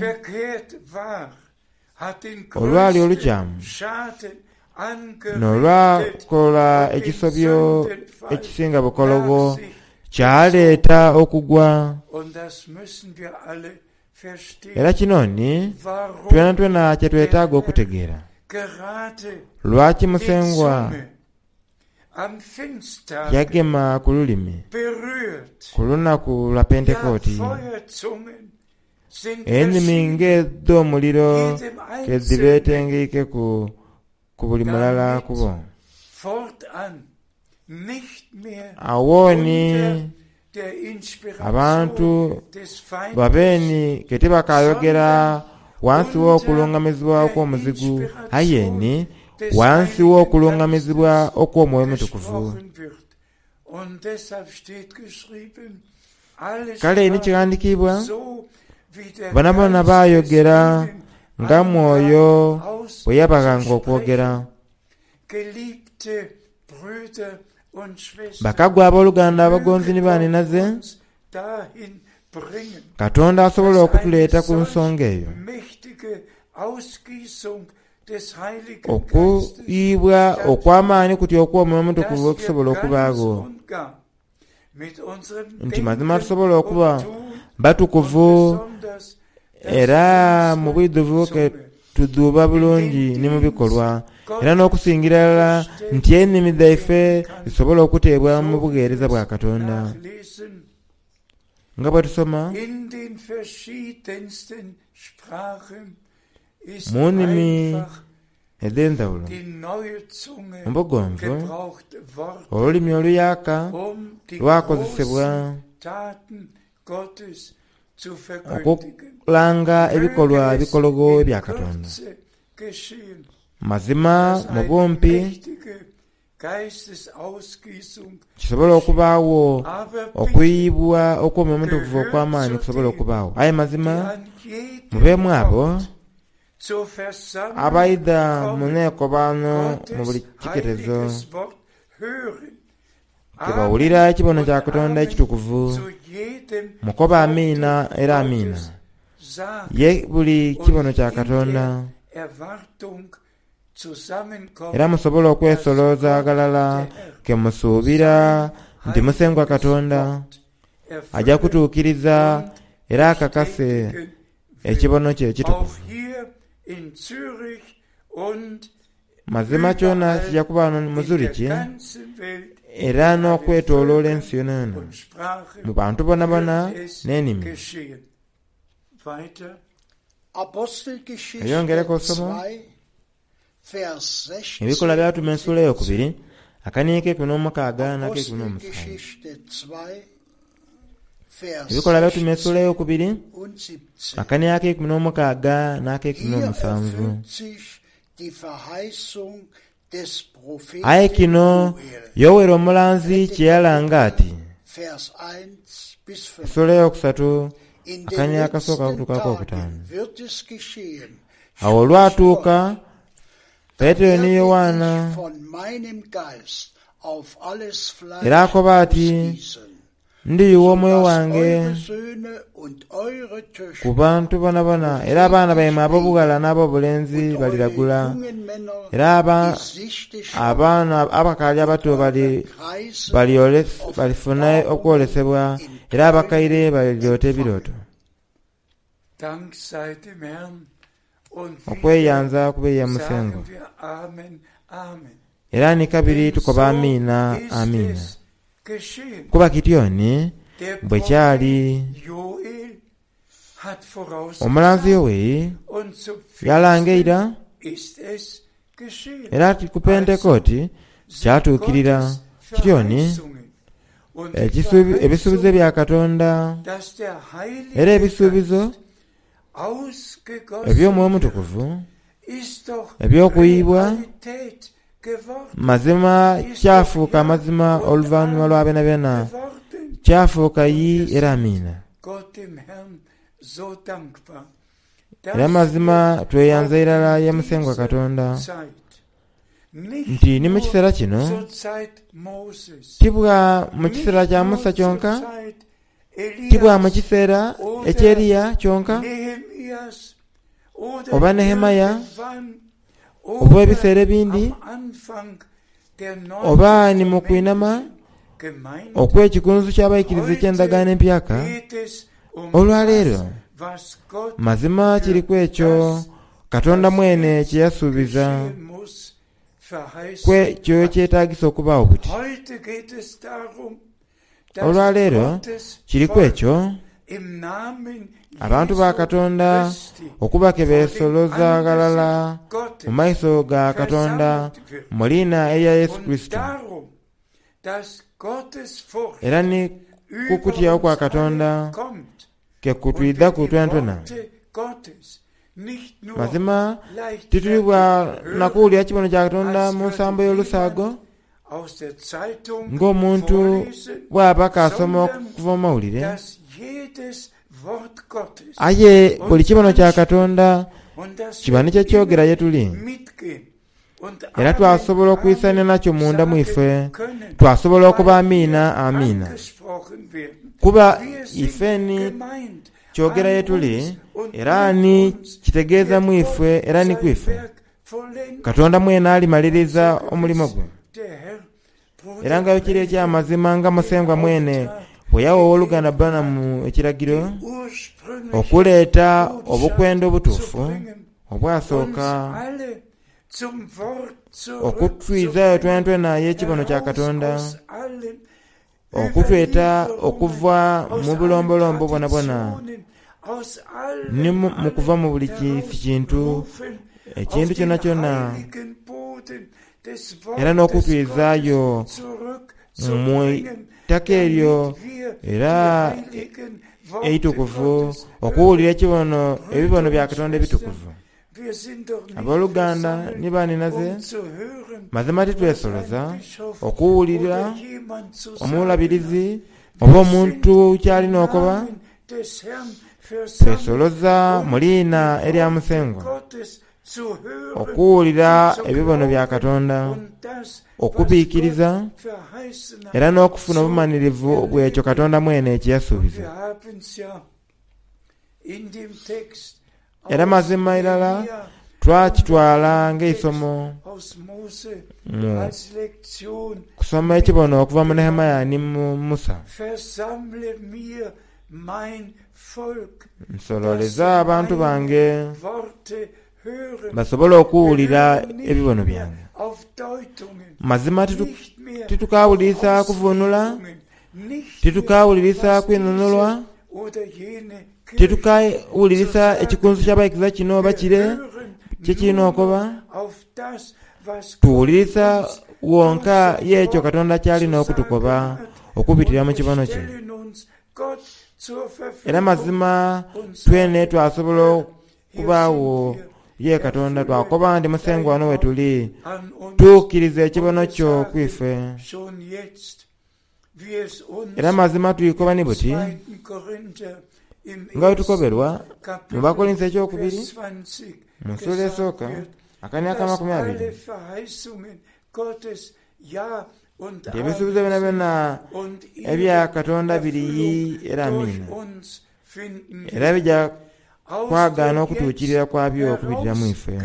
olwali olukyamu n'olwakola ekisobyo ekisinga bukologho kyaleeta okugwa. Era kino ni twenatwena kye twetaaga okutegeera, Lwaki Musengwa yagema ku lulimi ku lunaku lwa Pentekooti? Enimi ng'edh'omuliro ke dhibeetengeikeku ku buli mulala ku bo. Agho ni abantu babe ni ke tibakaayogera ghansi w'okulungamizibwa okw'omuzigu, aye ni ghansi w'okulungamizibwa okw'Omwoyo Omutukuvu. Kale ni kighandikiibwa, Boonaboona baayogera nga Mwoyo bwe yabaghanga okwogera. Bakagwa aboluganda abagonzi ni baanhinaze, Katonda asobola okutuleeta ku nsonga eyo. Okuyiibwa okw'amaani kutyo okw'Omwoyo Omutukuvu bwe kusobola okubaagho, nti mazima tusobola okuba batukuvu era mu bwidhuvu ke tudhuuba bulungi ni mu bikolwa, era n'okusingira irala nti enimi dhaife dhisobola okuteebwa mu bugheereza bwa Katonda. Nga bwe tusoma mu nnimi edh'endhaghulo, mu bugonvu, olulimi oluyaaka lwakozesebwa okulanga ebikolwa ebikologho ebya Katonda. Mazima mu bumpi, Kisobola okubaagho okuyiyibwa okw'Omwoyo Omutukuvu okw'amaani kusobola okubaagho. Aye mazima mubeemu abo abaidha mu neekobaano mu buli kiketezo ke bawulira ekibono kya Katonda ekitukuvu, mukobe Amiina era Amiina ye buli kibono kya Katonda. Era musobole okwesoloza aghalala ke musuubira nti Musengwa Katonda aja kutuukiriza era akakase ekibono kye ekitukuvu. Mazima kyona kija kuba ghano mu Zurich era n'okwetoloola ensi yonayona, mu bantu bonabona n'enimi. Eyongereku osoma Ebikolwa Byabatume Ensuula Eyokubiri, akaniiko keikumi n'omukaaga n'akeikumi n'omusanvu. Ebikolwa Byabatume Ensuula Eyokubiri, akaniiko akeikumi n'omukaaga n'akeikumi n'omusanvu. Aye kino Yoweri omulanzi kye yalanga ati, Essuula eyokusatu. In den Akanyiriri akasooka letzten okutuuka Tagen akokutaanu. wird es geschehen, Awo spricht olwatuuka Gott, Petero ni werde Yowaana ich von meinem Geist auf alles era Fleisch akoba ati, ausgießen, Ndiyuwa omwoyo sodass wange eure Söhne und eure ku Töchter bantu bonabona, era abaana baimwe ab'obughala n'ab'obulenzi und eure baliragula, jungen Männer era Gesichte schauen abaana abakaali abato eure bali Kreise balifuna Offenbarungen okwolesebwa, in era abakaire Träumen baliryota empfangen. ebirooto. Dank sei dem Herrn. Und wieder Okweyanza kubeeya Musengwa. sagen wir Amen, Amen. Era ni kabiri Denn tukoba so amiina, ist amiina. es geschehen. Kuba kityoni Der bwe kyali Prophet Joel hat omulanzi vorausgesagt Yoweri und zu yalanga Pfingsten eira ist es geschehen. era ati ku Also Pentekooti sind kyatuukirira. Gottes Kityoni Verheißungen und die ebisuubizo Verheißung, bya Katonda dass der era Heilige ebisuubizo Geist ausgegossen eby'Omwoyo wird, Omutukuvu ist doch eby'okuyibwa Realität geworden, mazima ist doch kyafuuka Ja amazima und oluvannyuma lwa Amen byona byona geworden. kyafuuka Und yi wir era sind amiina. Gott dem Herrn so dankbar, Era dass wir mazima tweyanza auch irala in ye Musengwa dieser Katonda Zeit, nicht nti ni mu nur kiseera kino zur Zeit Moses, tibwa mu kiseera nicht kya nur Musa zur kyonka, Zeit tibwa mu Elias kiseera oder eky'Eriya kyonka Nehemias oder oba Nehemaya irgendwann oba oder ebiseera ebindi am Anfang der oba ni mu kwinama neutestamentlichen Gemeinde. okw'ekikunsu ky'abaikiriza eky'endagaano Heute empyaka. geht es um Olwaleero das, was Gott mazima für kiriku ekyo das, Katonda was mwene jetzt kye yasuubiza geschehen muss, verheißen kwekyo hat. kyetaagisa okubaawo buti. Heute geht es darum, dass Olwaleero Gottes kiriku Volk ekyo im Namen abantu ba Jesu Katonda Christi okuba ke vor dem beesoloza ghalala Angesicht mu Gottes maiso ga Katonda versammelt wird. mu liina erya Yesu Und Kristo. darum, dass Gottes Furcht Era ni ku über kutyawo kwa uns alle Katonda kommt ke und wir kutwidhaku die twentwena. Worte Gottes nicht nur Mazima titulibwa leichtfertig na hören, kuwulira kibono kya Katonda als mu würde nsambo y'olusaago jemand aus der Zeitung ng'omuntu vorlesen, bw'aba kaasoma sondern okuva mu mawulire, dass jedes Wort Gottes aye buli uns kibono kya anspricht Katonda und dass kiba wir ni kyekyogera immer ye tuli. mitgehen und Era Amen, twasobola okwisania Amen nakyo munda sagen mwife, können, twasobola okuba weil amiina, wir amiina. angesprochen werden. Kuba Wir sind ifeni gemeint kyogera ye an tuli, uns und era mit ni uns kitegeeza wird mu Gott ife era ni sein ku ife. Werk vollenden. Katonda mwene alimaliriza So omulimo gewiss gwe. der Herr Era Bruder nga bwe kiri Branham eky'amazima nga den Musengwa mwene Auftrag bwe yawa owooluganda gegeben Branham hat, ekiragiro die ursprüngliche okuleeta Botschaft obukwenda zu obutuufu bringen, uns obwasooka alle zum Wort okutwizayo zurückzubringen, twentwena y'ekibono kya heraus Katonda, aus allen okutweta Überlieferungen, okuva aus mu allen bulombolombo bwonabwona Traditionen, aus ni allem, mu kuva allem mu buli kintu herausrufen auf ekintu den kyona kyona heiligen Boden des era Wortes Gottes n'okutwizaayo mu zurückzubringen, ttaka eryo damit wir era die heiligen Worte eitukuvu Gottes okuwulira hören. ekibono ebibono Brüder bya und Katonda Schwestern, ebitukuvu. wir sind doch nicht Abooluganda versammelt, ni baninaze um zu hören, mazima was titwesoloza ein Bischof okuwulira oder jemand zu sagen hat. omulabirizi oba Wir omuntu sind im ky'alina okuba. Namen des Herrn versammelt, Twesoloza mu um liina die erya Worte Musengwa Gottes zu hören okuwulira und zu ebibono bya glauben Katonda, und das, was Gott okubiikiriza verheißen hat, era n'okufuna zu obumalirivu bw'ekyo erleben. Katonda mwene kye Und yasuubiza. wir haben es ja in dem Text Era aus mazima irala Nehemia und twakitwala im Text ng'eisomo aus Mose mu als Lektion kusoma ekibono okuva mu Nehemiya ni mu Musa. Versammle mir mein Volk, dass Nsololeza sie abantu meine bange Worte hören. basobole okuwulira Wir hören nicht ebibono mehr byange. auf Deutungen, Mazima nicht mehr auf titukawulirisa kuvuunula, Auslegungen, nicht mehr titukawulirisa was kwinunulwa, diese oder jene Kirche zu titukawulirisa sagen ekikunsu hat. ky'abayigiza kino oba Wir kire hören kye kirina nur okuba. noch auf das, was Gott Tuwulirisa uns durch wonka sein y'ekyo Wort Katonda ky'alina zu okutukoba sagen hat. okubitirira Und mu wir kibono kye. stellen uns Gott zur Era Verfügung mazima und twene sagen, twasobola Herr, hier okubaawo sind wir, ye Katonda erfülle twakoba nti Musengwa dein wano we Wort tuli an uns. tuukiriza Und ekibono wir kyo ku sagen ife. schon jetzt, wie es Era uns mazima tuyikoba ni im buti 2. Korinther Nga bwe tukoberwa mu Bakolinso ekyokubiri mu nsuula esooka akania ak'amakumi abiri, nti ebisuubizo byonabyona ebya Katonda biri yii era amiina, era bija kwagaana okutuukirira kwabyo okubitira mu ife.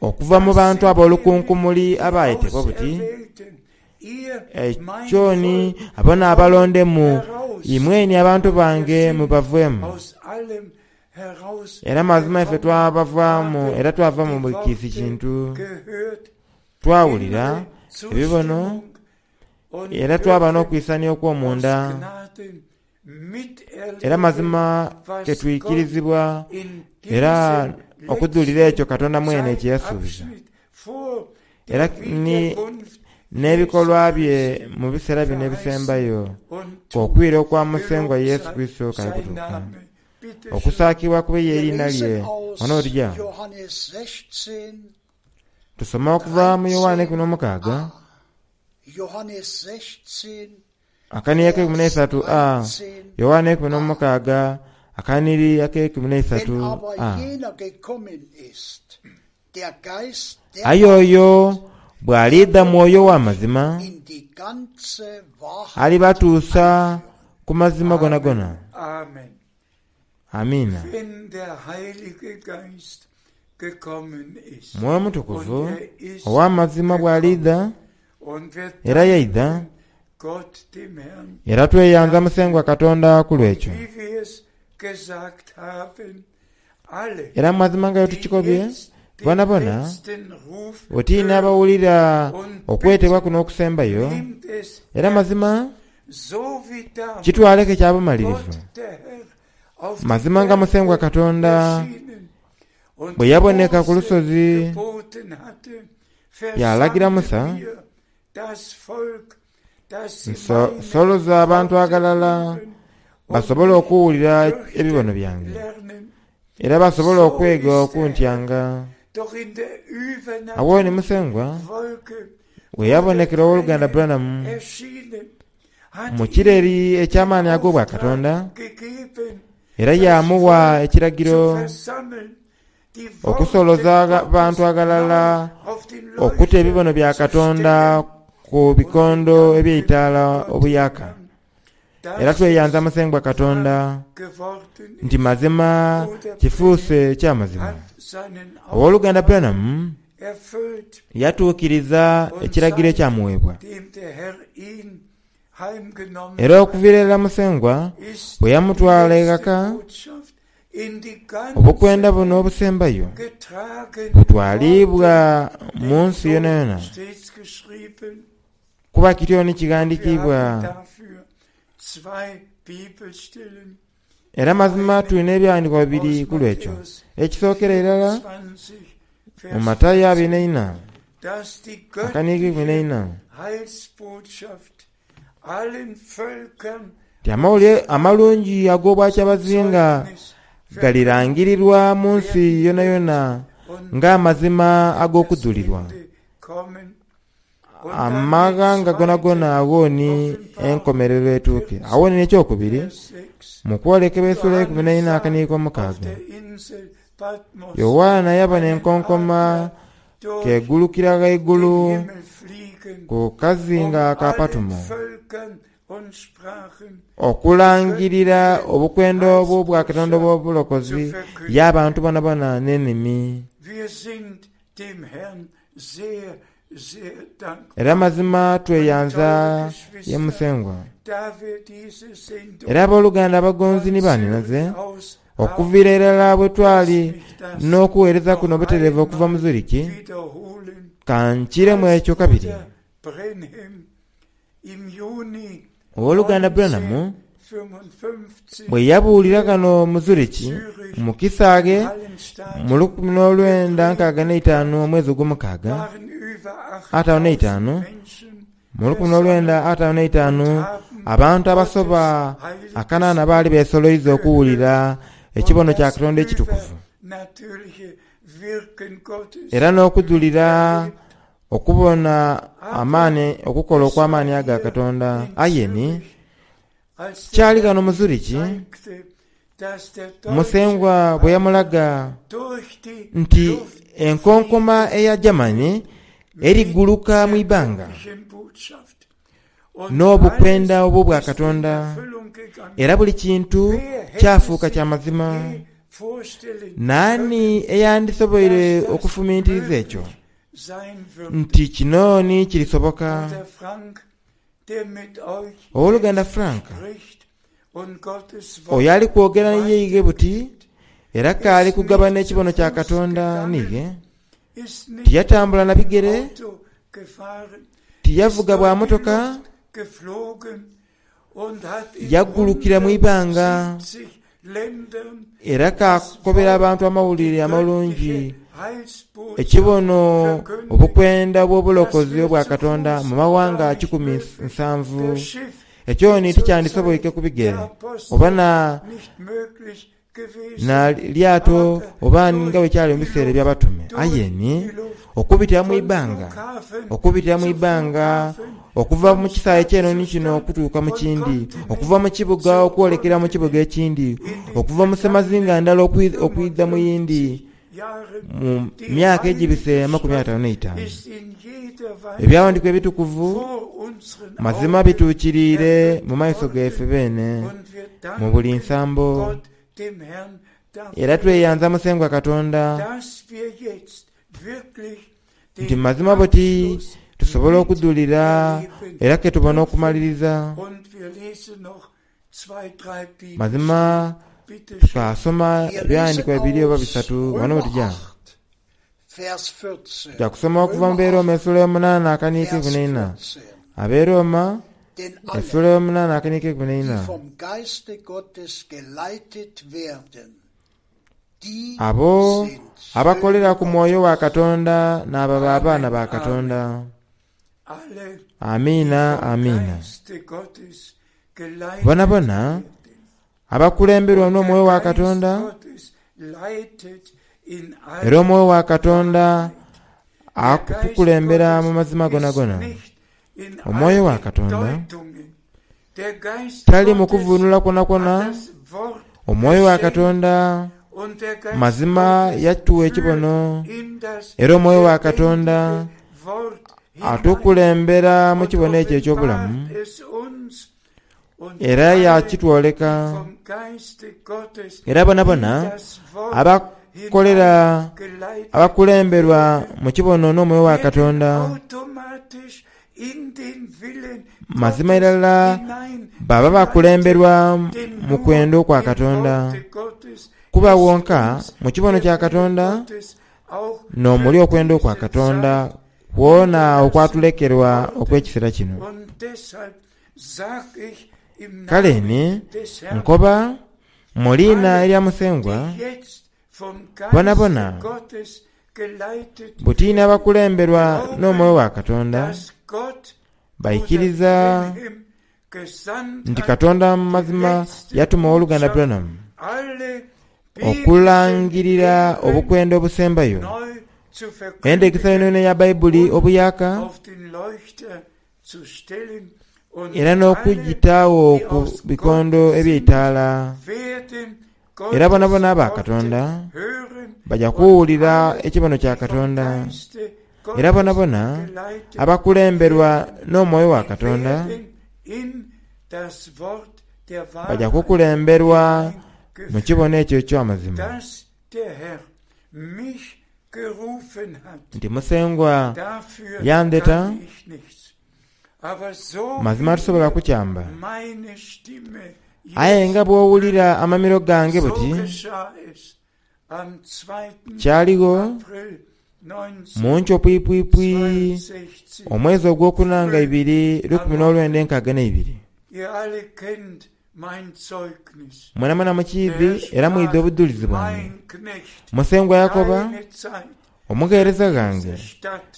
Okuva mu bantu ab'olukunkumuli abaayetebwa buti, Ekyo ni abo n'abalondemu, imwe ni abantu bange mubaveemu. Era mazima ife twabavaamu era twava mu buli kiisi kintu. Twawulira ebibono era twaba n'okwisania okw'omunda. Era mazima ke twikirizibwa era okudhulira ekyo Katonda mwene kye yasuubiza. Era ni n'ebikolwa bye mu biseera bino ebisembayo, k'okwira okwa Musengwa Yesu Kurisito kali kutuuka. Okusaakibwa kube y'eriina lye. Wano we tuja. Tusoma okuva mu Yoanne 16. Akaniiri akeikumi n'eisatu A, Yoanne 16, akaniiri akeikumi n'eisatu A. Aye oyo bw'aliidha Mwoyo ow'amazima, alibatuusa ku mazima gonagona. Amiina. Mwoyo Mutukuvu ow'amazima bw'aliidha, era yaidha, era tweyanza Musengwa Katonda ku lw'ekyo. Era mu mazima nga bwe tukikobye, bonabona oti n'abawulira okwetebwa kuno okusembayo, era mazima kitwaleke kya bumalirivu. Mazima nga Musengwa Katonda bwe yaboneka ku lusozi yaalagira Musa, Nsoloza abantu aghalala basobole okuwulira ebibono byange, era basobole okwega okuntyanga. Agho ni Musengwa bwe yabonekera Owoluganda Branham mu kireri eky'amaani ag'Obwakatonda, era yaamugha ekiragiro Okusoloza abantu aghalala okuta ebibono bya Katonda ku bikondo eby'eitaala obuyaaka. Era tweyanza Musengwa Katonda nti mazima kifuuse kya mazima. Ow'oluganda Branham yatuukiriza ekiragiro ekyamuweebwa. Era okuviira irala Musengwa bwe yamutwala eghaka, Obukwenda buno obusembayo butwaliibwa mu nsi yonayona, kuba kityo ni kighandikiibwa. Era mazima tuli n'ebighandiiko bibiri ku lw'ekyo. Ekisookera irala mu Matayo abiri n'eina akaniiko eikumi n'eina. Nti Amawulire Amalungi ag'Obwakyabazinga galirangirirwa mu nsi yonayona ng'amazima ag'okudhulirwa. Amaghanga gonagona agho ni enkomerero etuuke. Agho ni n'ekyokubiri, mu kwolekebwa esula eikumi n'eina akaniiko omukaaga, Yoanna yabona enkonkoma k'egulukira ghaigulu ku kazinga ka Patumo okulangirira obukwenda obw'Obwakatonda obw'obulokozi y'abantu bonabona n'enimi. Era mazima tweyanza ye Musengwa. Era aboluganda abagonzi ni baninaze, okuviira irala bwe twali n'okugheereza kuno obutereevu okuva mu Zurich, ka nkiremu ekyo kabiri. Ow'oluganda Branham bwe yabuulira ghano mu Zurich mu kisaaghe mu 1965 omwezi ogwomukaaga, ataanu n'eitaanu, mu 1955 abantu abasoba akanaana baali beesoloiza okuwulira ekibono kya Katonda ekitukuvu era n'okudhulira Okubona amaani, okukola okw'amaani aga Katonda. Aye ni, Kyali ghano mu Zurich, Musengwa bwe yamulaga nti enkonkoma eya Germany eriguluka mu ibanga n'obukwenda obw'obwa Katonda, era buli kintu kyafuuka kya mazima. Naani eyandisoboire okufumintiriza ekyo, nti kino ni kirisoboka? Owoluganda Frank, oyo ali kwogera ni yeighe buti era k'ali kugabana ekibono kya Katonda n'ighe, tiyatambula na bigere, tiyavuga bwa motoka, yagulukira mu ibanga era kaakobera abantu amawulire amalungi, ekibono obukwenda obw'obulokozi obwa Katonda mu mawanga 170. Ekyo ni tikyandisoboike ku bigere oba na na lyato oba nga bwe kyali mu biseera eby'Abatume. Aye ni okubitira mu ibbanga, okubitira mu ibbanga, okuva mu kisaawe ky'enhonhi kino okutuuka mu kindi, okuva mu kibuga okwolekera mu kibuga ekindi, okuva mu semazinga ndala okwidha mu yindi, mu myaka egibise 54. Ebyawandikibwa ebitukuvu mazima bituukiriire mu maiso gaife beene mu buli nsambo. Era tweyanza Musengwa Katonda nti mazima buti tusobola okudhulira era ke tubona okumaliriza. Mazima tukaasoma ebyawandiikibwa bibiri oba bisatu ghano bwe tuja. Tuja kusoma okuva mu Beeroma esula yomunaana akaniiko eikumi n'eina. Abeeroma esula yomunaana akaniiko eikumi n'eina. Abo abakolera ku Mwoyo wa Katonda n'ababa abaana ba Katonda. Amiina, amiina. Bonabona abakulemberwa n'Omwoyo wa Katonda, era Omwoyo wa Katonda akutukulembera mu mazima gonagona. Omwoyo wa Katonda tali mu kuvunula kwonakwo. Omwoyo wa Katonda mazima yatuwa ekibono, era Omwoyo wa Katonda atukulembera mu kibono ekyo eky'obulamu, era yaakitwoleka. Era bonabona abakolera abakulemberwa mu kibono n'Omwoyo wa Katonda, mazima irala baba bakulemberwa mu kwenda okwa Katonda. Kuba wonka mu kibono kya Katonda n'omuli okwenda okwa Katonda kwona okwatulekerwa okw'ekiseera kino. Kale ni nkoba mu liina erya Musengwa, bonabona buti n'abakulemberwa n'Omwoyo wa Katonda baikiriza nti Katonda mu mazima yatuma Owoluganda Branham okulangirira obukwenda obusembayo, endhegesa yonayona eya Baibuli obuyaaka, era n'okugitaagho ku bikondo eby'eitaala. Era bonabona aba Katonda baja kuwulira ekibono kya Katonda, era bonabona abakulemberwa n'Omwoyo wa Katonda baja kukulemberwa mu kibono ekyo eky'amazima. Nti Musengwa yandheta, mazima tisobola kukyamba. Aye nga bw'owulira amamiro gange buti, kyaligho mu nkyo pwipwipwi omwezi ogwokuna nga ibiri 1962. Mwenamwena mukiidhi era mwidhi obudhulizi bwange. Musengwa yakoba, Omugheereza ghange,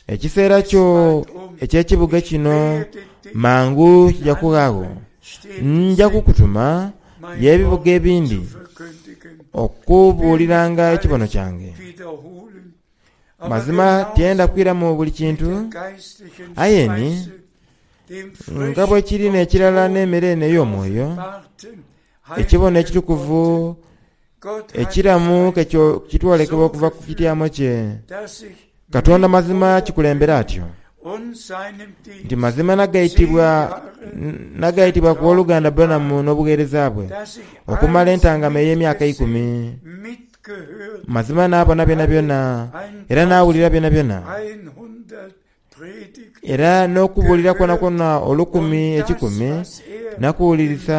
ekiseera kyo eky'ekibuga kino mangu kija kughagho. Nja kukutuma y'ebibuga ebindi okubuuliranga ekibono kyange. Mazima tiyenda kwiramu buli kintu, aye ni. Nga bwe kiri n'ekirala n'emere eno ey'omwoyo, ekibono ekitukuvu ekiramu ke kitwolekebwa okuva ku kityamo kye. Katonda mazima kikulembera atyo nti mazima nagaitibwa nagaitibwa ku w'oluganda Branham n'obugheereza bwe okumala entangama ey'emyaka eikumi. Mazima naabona byonabyona era naawulira byonabyona era n'okubuulira kwonakwona olukumi ekikumi nakuwulirisa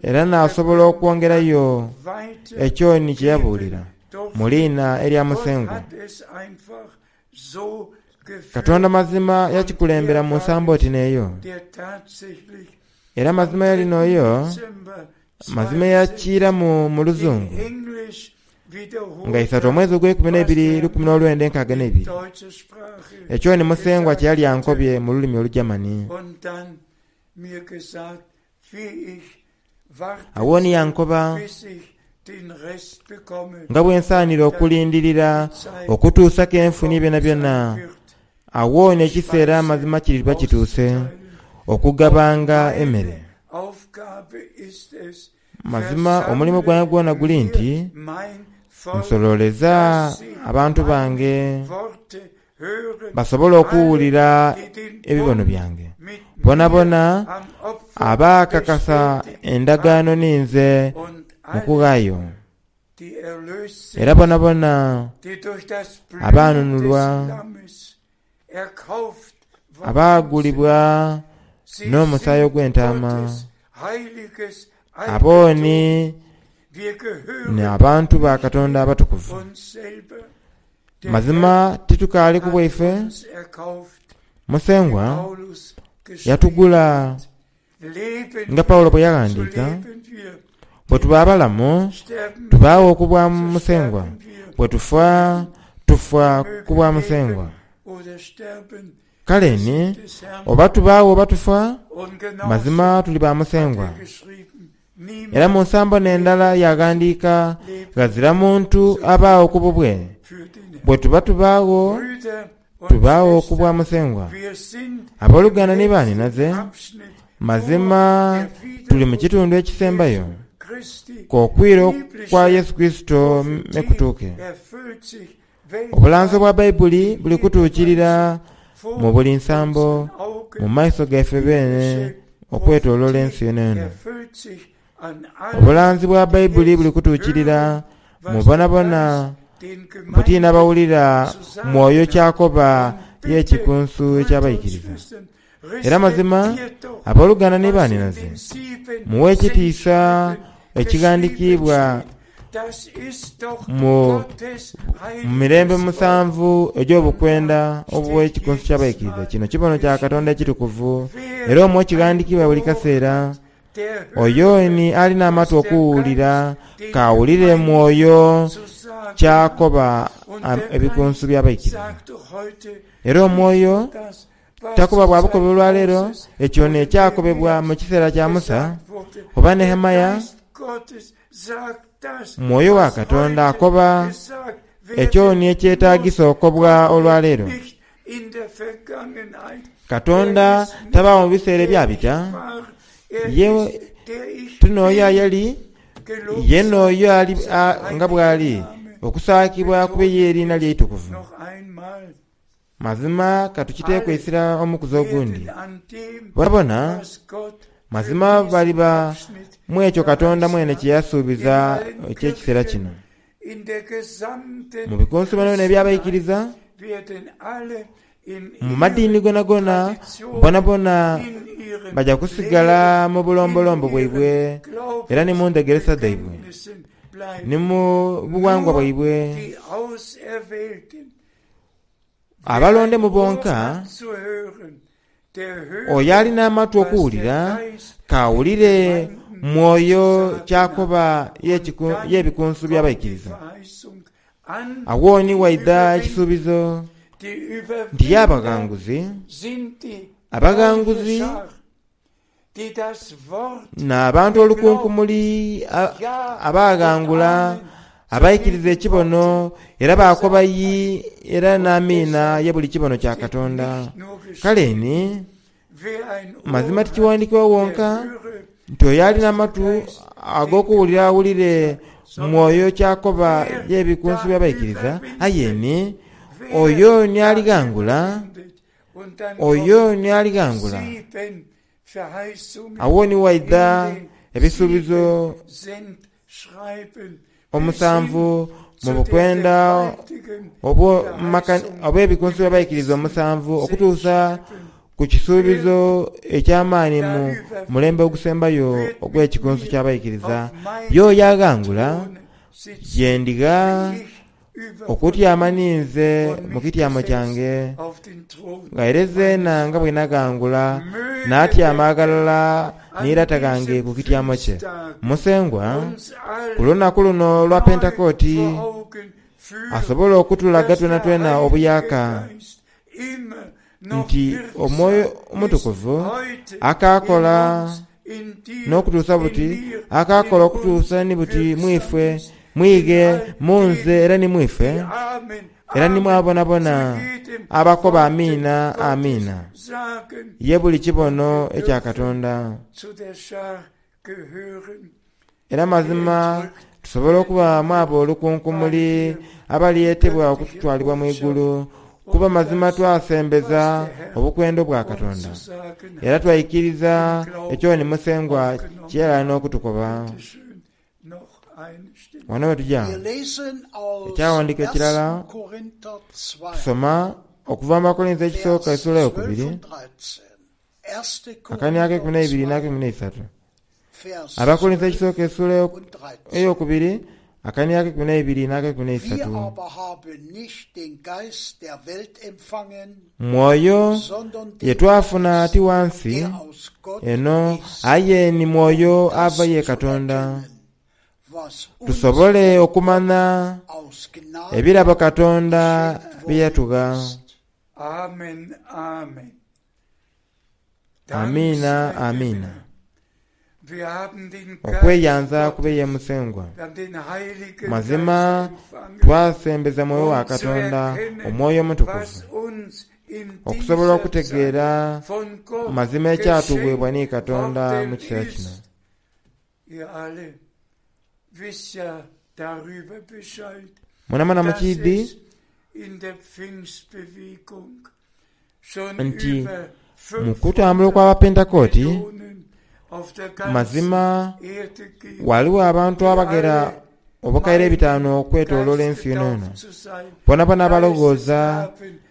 era naasobola okwongerayo ekyo ni kye yabuulira mu liina erya Musengwa. Katonda mazima yakikulembera mu nsambo oti n'eyo. Era mazima yali n'oyo mazima eyakiiramu mu luzungu nga isatu omwezi ogweikumi n'eibiri 1962. Ekyo ni Musengwa kye yali ankobye mu lulimi Olugyamani. Agho ni yankoba nga bwe nsaanira okulindirira okutuusa ke nfunye byonabyona. Agho ni ekiseera amazima kiriba kituuse okugabanga emere. Mazima omulimo gwange gwona guli nti nsololeza abantu bange basobole okuwulira ebibono byange. Bonabona abaakakasa endagaano ninze mu kughaayo, era bonabona abaanunulwa, abaagulibwa n'omusaayi ogw'entaama, abo ni n'abantu ba Katonda abatukuvu. Mazima titukaali ku bwaife, Musengwa yatugula nga Paulo bwe yaghandiika, Bwe tuba abalamu, tubaagho ku bwa Musengwa, bwe tufa, tufa ku bwa Musengwa. Kale ni, oba tubaagho oba tufa, mazima tuli ba Musengwa. Era mu nsambo n'endala yaaghandiika, Ghazira muntu abaagho ku bubwe. Bwe tuba tubaagho, tubaagho ku bwa Musengwa. Aboluganda ni baanhinaze, mazima tuli mu kitundu ekisembayo k'okwira kwa Yesu Kurisito me kutuuke. Obulanzi obwa Baibuli buli kutuukirira mu buli nsambo mu maiso gaife beene okwetooloola ensi yonayona. Obulanzi bwa Baibuli buli kutuukirira mu bonabona buti n'abawulira Mwoyo ky'akoba y'Ekikunsu eky'Abaikiriza. Era mazima, aboluganda ni baanhinaze, mughe ekitiisa ekighandikiibwa mu mirembe musanvu egy'obukwenda obw'Ekikunsu ky'Abaikiriza. Kino kibono kya Katonda ekitukuvu, era omwo kighandikiibwa buli kaseera. Oyo ni ali n'amatu okuwulira, k'awulire Mwoyo ky'akoba ebikunsu by'abaikiriza. Era Omwoyo takoba bwa bukobe olwaleero ekyo n'ekyakobebwa mu kiseera kya Musa oba Nehemia. Mwoyo wa Katonda akoba ekyo ni ekyetaagisa okobwa olwaleero. Katonda tabaagho mu biseera ebyabita. Ye ti n'oyo ayali, ye n'oyo ali nga bw'ali, okusaakibwa kube ye eriina lye eitukuvu. Mazima ka tukiteeku eisira omukuzi ogundi. Bonabona mazima baliba mu ekyo Katonda mwene kye yasuubiza eky'ekiseera kino. Mu bikunsu byonabyona eby'abaikiriza, mu madiini gonagona, bonabona baja kusigala mu bulombolombo bwaibwe era ni mu ndhegeresa dhaibwe, ni mu bughangwa bwaibwe. Abalondemu bonka, oyo ali n'amatu okuwulira, k'awulire Mwoyo ky'akoba y'ebikunsu by'abaikiriza. Agho ni waidha ekisuubizo nti ye abaghanguzi, abaghanguzi N'abantu olukunkumuli abaaghangula abaikiriza ekibono era baakoba yi era n'amiina ye buli kibono kya Katonda. Kale ni. Mazima tikiwandiikibwa wonka nti oyo ali n'amatu ag'okuwulira awulire Mwoyo ky'akoba y'ebikunsu by'abaikiriza, aye ni oyo ni alighangula, oyo ni alighangula. Agho ni waidha ebisuubizo omusanvu mu bukwenda obw'ebikunsu by'abaikiriza omusanvu okutuusa ku kisuubizo eky'amaani mu mulembe ogusembayo ogw'ekikunsu ky'abaikiriza. Y'oyo aghangula, ye ndigha okutyama ninze mu kityamo kyange, nga era zeena nga bwe naghangula naatyama aghalala ni Lata ghange ku kityamo kye. Musengwa, ku lunaku luno olwa Pentekooti, asobole okutulaga twenatwena obuyaaka nti Omwoyo Omutukuvu akaakola n'okutuusa buti, akaakola okutuusa ni buti mu ife, mu ighe, mu nze era ni mu ife, era ni mu abo boonaboona abakoba Amiina, Amiina, ye buli kibono ekya Katonda. Era mazima tusobola okuba mu abo olukunkumuli abalyetebwa okutwalibwa mu igulu, kuba mazima twasembeza obukwenda obwa Katonda, era twaikiriza ekyo ni Musengwa kye yali ali n'okutukoba. Wano we tuja, ekyawandiiko ekirala tusoma okuva mu Bakolinso ekisooka esula eyokubiri, akani akeikumi n'eibiri n'akeikumi n'eisatu. Abakorintho ekisooka esula eyokubiri akani akeikumi n'eibiri n'akeikumi n'eisatu. Mwoyo ye twafuna ti wa nsi eno aye ni Mwoyo ava ye Katonda, tusobole okumanha ebirabo Katonda bye yatugha. Amen, amen. Amiina, amiina. Okweyanza kube ye Musengwa. Mazima twasembeza Mwoyo wa Katonda, Omwoyo Omutukuvu, okusobola okutegeera mazima ekyatugheebwa ni Katonda mu kiseera kino. Mwenamwena mukiidhi nti mu kutambula okw'Abapentekooti, mazima ghaligho abantu abaghera obukaire ebitaanu okwetoloola ensi yonayona, boonaboona abaloghooza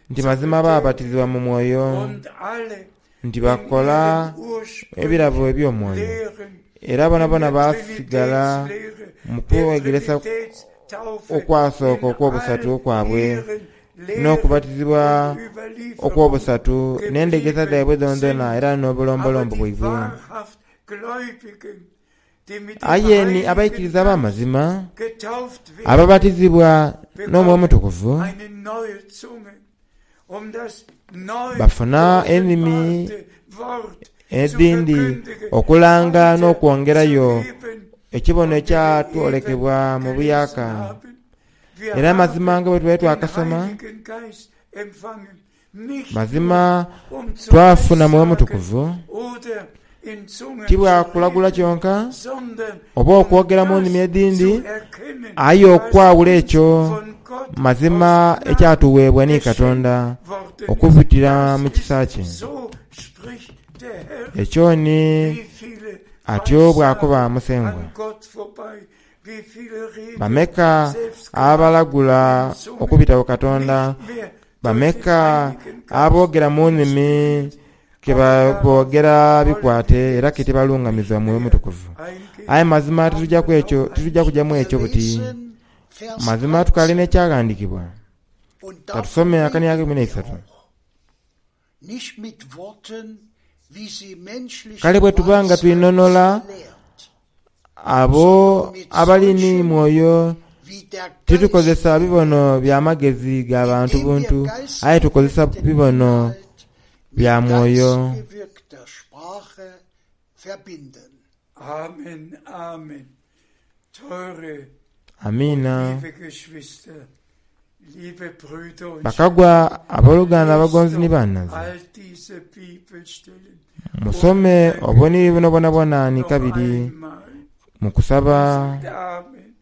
nti mazima baabatizibwa mu Mwoyo, nti bakola ebirabo eby'omwoyo, era boonaboona baasigala mu kwegeresa okwasooka okw'obusatu kwabwe. n'okubatizibwa okw'obusatu, n'endhegeresa dhaibwe dhoonadhoona era n'obulombolombo bwaibwe. Aye ni abaikiriza ab'amazima ababatizibwa n'Omwoyo Omutukuvu bafuna enimi edhindi okulanga n'okwongerayo ekibono ekyatwolekebwa mu buyaaka. Era mazima nga bwe tubaire twakasoma, mazima twafuna Mwoyo Mutukuvu, ti bwa kulagula kyonka oba okwogera mu nnimi edhindi, aye okwawula ekyo mazima ekyatuweebwa ni Katonda okubitira mu kisa kye. Ekyo ni atyo bw'akoba Musengwa. Bameka abalagula okubita ku Katonda? Bameka aboogera mu nnimi ke boogera bikwate era ke tibalungamizibwa Mwoyo Mutukuvu? Aye mazima tituja ku ekyo, tituja kuja mu ekyo buti. Mazima tukaali n'ekyaghandiikibwa. Ka tusome akani akeikumi n'eisatu. Kale bwe tuba nga twinhonhola abo abali ni Mwoyo, titukozesa bibono bya magezi ga bantu buntu, aye tukozesa bibono bya Mwoyo. Amiina. Liebe Brüder und Bakagwa aboluganda Schwestern, abagonzi ni lest doch bannaze, all diese Bibelstellen musome obubonero buno bwonabwona ni noch kabiri einmal. mu kusaba Sagt Amen,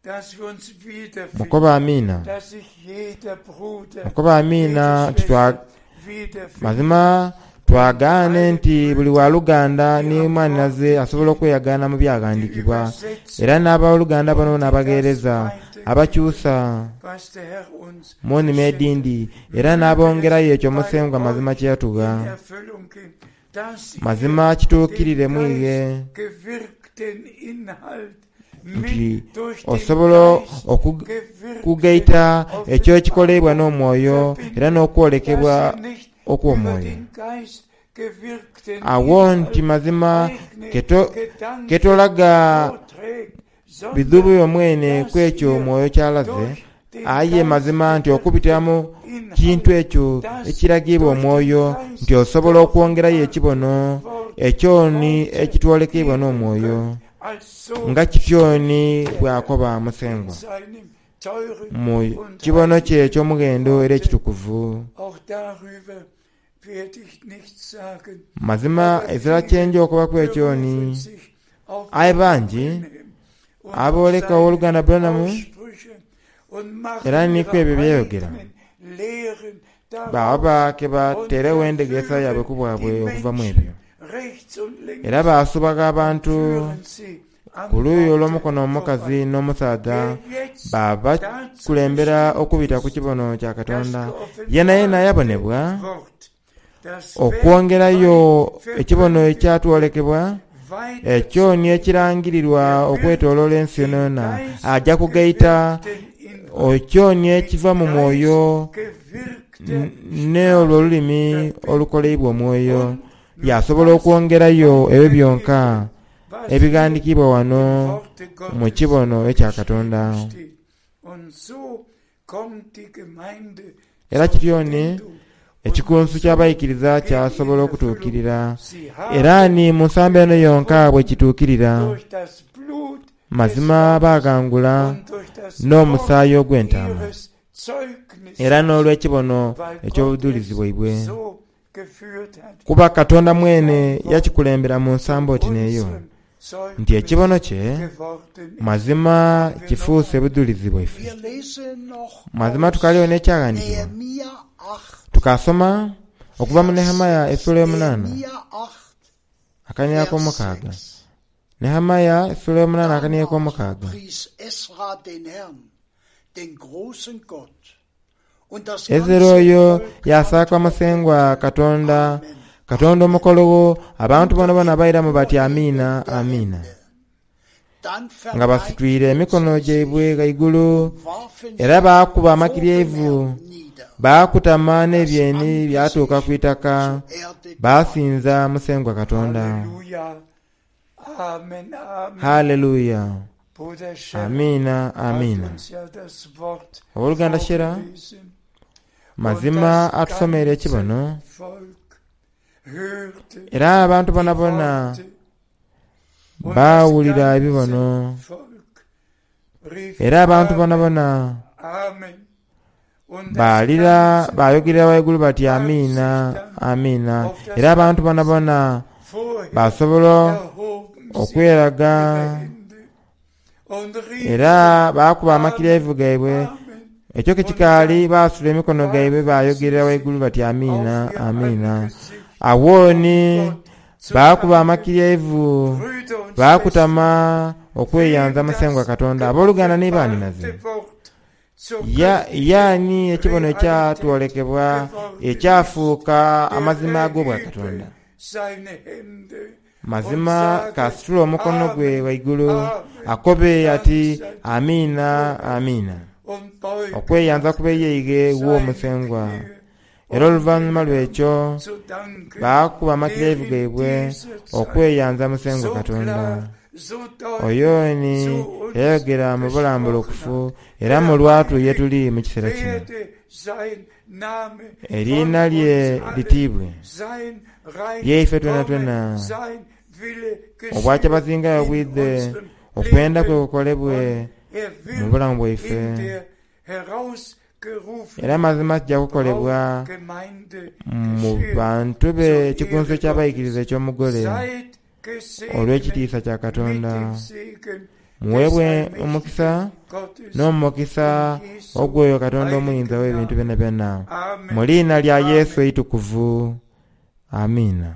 dass wir uns wiederfinden, mukoba amiina dass sich jeder Bruder, mukoba amiina jede nti twa Schwester wiederfindet. mazima twagaane nti buli waluganda ni mwaninaze asobola okweyagaana mu byaghandiikibwa era n'aboluganda bano n'abagheereza abakyusa Was der Herr uns mu nnimi geschenkt edindi era n'abongerayo ekyo Musengwa mazima kye in yatugha Erfüllung ging, dass ihr mazima kituukirire den mwighe gewirkten Inhalt nti mit durch den osobola Geist okugaita gewirkte ekyo ekikolebwa n'omwoyo era n'okwolekebwa dass ihr nicht über okw'omwoyo den Geist gewirkten awo nti Inhalt mazima eigene keto Gedanken ketolaga vorträgt, sondern bidhubu byomwene dass ku ekyo ihr omwoyo kyalaze durch den aye Geist mazima nti okubitira mu gewirkten kintu Inhalt, ekyo das ekiragibwa durch den omwoyo Geist nti osobola okwongerayo ekibono ekyo ni Worte ekitwolekebwa geben n'omwoyo könnt, als so nga kityo ni bw'akoba Musengwa in seinem teuren mu und kibono kye heiligen eky'omughendo era Worte. ekitukuvu Auch darüber werde ich nichts sagen. mazima Aber ezira viele kyenja okubaku ekyo ni berufen sich auf aye Bruder bangi Branham und auf abooleka seine owooluganda Branham Aussprüche und era machen ni ku ihre ebyo byeyogera eigenen Lehren baba daraus ke und bateerewo endegeesa yaabwe verführen ku bwabwe die okuva mu Menschen ebyo rechts und era links baasubaga abantu führen sie am ku luuyi Worte olw'omukono omukazi vorbei. n'omusaadha Wer jetzt baba dazu kulembera bestimmt okubita ku ist, kibono kya das Katonda yena yena geoffenbarte yabonebwa Wort, das okwongerayo weltweit ekibono verkündigt ekyatwolekebwa ekyo ni weiterzugeben, ekirangirirwa er wird okwetooloola ensi den yonayona ajja kugaita geistgewirkten Inhalt ekyo ni mit ekiva mu mwoyo geistgewirkter ne olwo Sprache olulimi verbinden olukoleibwa omwoyo und nur yasobola das okwongerayo ebyo byonka weitergeben, was hier ebighandiikibwa wano im Worte mu Gottes kibono ekya Katonda geschrieben steht. Und so kommt die Gemeinde era zur kityo ni Vollendung und ekikunsu so ky'abayikiriza geht in kyasobola Erfüllung. okutuukirira Sie era haben ni mu nsambo eno yonka bwe überwunden kituukirira durch das Blut des mazima Lammes baagangula und durch das Wort n'omusaayi ogw'entaama ihres era Zeugnisses, n'olw'ekibono weil Gott eky'obujulizi es bwaibwe so geführt hat, kuba Katonda dass mwene sein Wort yakikulembera mu zu nsambo oti n'eyo unserem nti Zeugnis ekibono kye geworden ist. mazima Haben wir noch kifuuse ein bujulizi bwaife Wir lesen noch mazima aus tukaliyo n'ekyaghandiikibwa Nehemia 8, tukasoma okuva mu Vers Nehemiya 6. essula y'omunaana Nehemia 8, akaniya Vers ak'omukaaga 6. Nehemiya essula y'omunaana akaniya Danach ak'omukaaga pries Esra den Herrn, den großen Gott. Und das Ezera ganze oyo Volk yasaaka Musengwa antwortete, Katonda Amen, Katonda Amen, omukolowo abantu unter bonabona dem bairamu bati Überheben amiina der amiina Hände. Dann nga basitwire verneigten emikono sie sich gyaibwe ghaigulu und warfen era sich baakuba vor dem amakiryevu Herrn nieder, baakutama das n'ebyeni byatuuka ku Angesicht itaka zur Erde gewandt. baasinza Musengwa Katonda Halleluja. Amen, Amen. haleluya Bruder Scherer amiina hat amiina uns ja das Wort owooluganda Shera vorgelesen und mazima das atusomeire ganze ekibono Volk hörte era abantu die bonabona Worte und das baawulira ganze ebibono Volk rief era abantu Amen, bonabona Amen. Und das baalira ganze baayogerera waigulu bati warf sich amiina dann amiina auf das era abantu bonabona Angesicht. Vorher basobola erhoben sie okweraga ihre Hände und era riefen baakuba Amen, amakiryevu gaibwe Amen. ekyo ke Und kikaali dann baasula emikono gaibwe warfen sie baayogerera sich waigulu bati amiina auf ihr amiina Angesicht, awooni um Gott zu baakuba danken. amakiryevu Brüder und Schwestern, baakutama okweyanza wem Musengwa das Katonda abooluganda ni baaninaze geoffenbarte Wort zur ya göttlichen yaani ekibono Realität ekyatwolekebwa geworden ist, ekyafuuka der amazima ag'obwa erhebe Katonda seine Hände und mazima sage kasitula omukono gwe Amen, waigulu Amen, akobe Dank ati sei amiina Gott amiina und beuge okweyanza nachher kubeyeige wo seine Musengwa Knie, era um oluvannyuma dem Herrn lw'ekyo zu danken, baakuba der amakirevu in gaibwe dieser Zeit okweyanza Musengwa so Katonda klar, so deutlich oyo ni zu uns yayogera mu gesprochen bulambulukufu hat. era mu Der lwatu ye heilig tuli mu kiseera kino werde sein Name von eriina lye uns allen, litiibwe sein Reich lyeife twena komme, twena sein Wille geschehe obwakyabazingayo in bwidde unserem okwenda kwe Leben kukolebwe und er mu wird bulamu bwaife in der Era mazima kija kukolebwa mu bantu be ekikunsu eky'abaikiriza eky'omugole olw'ekitiisa kya Katonda. Muweebwe omukisa n'omukisa ogw'oyo Katonda Omuyinza w'ebintu byonabyona, mu liina lya Yesu eitukuvu. Amiina.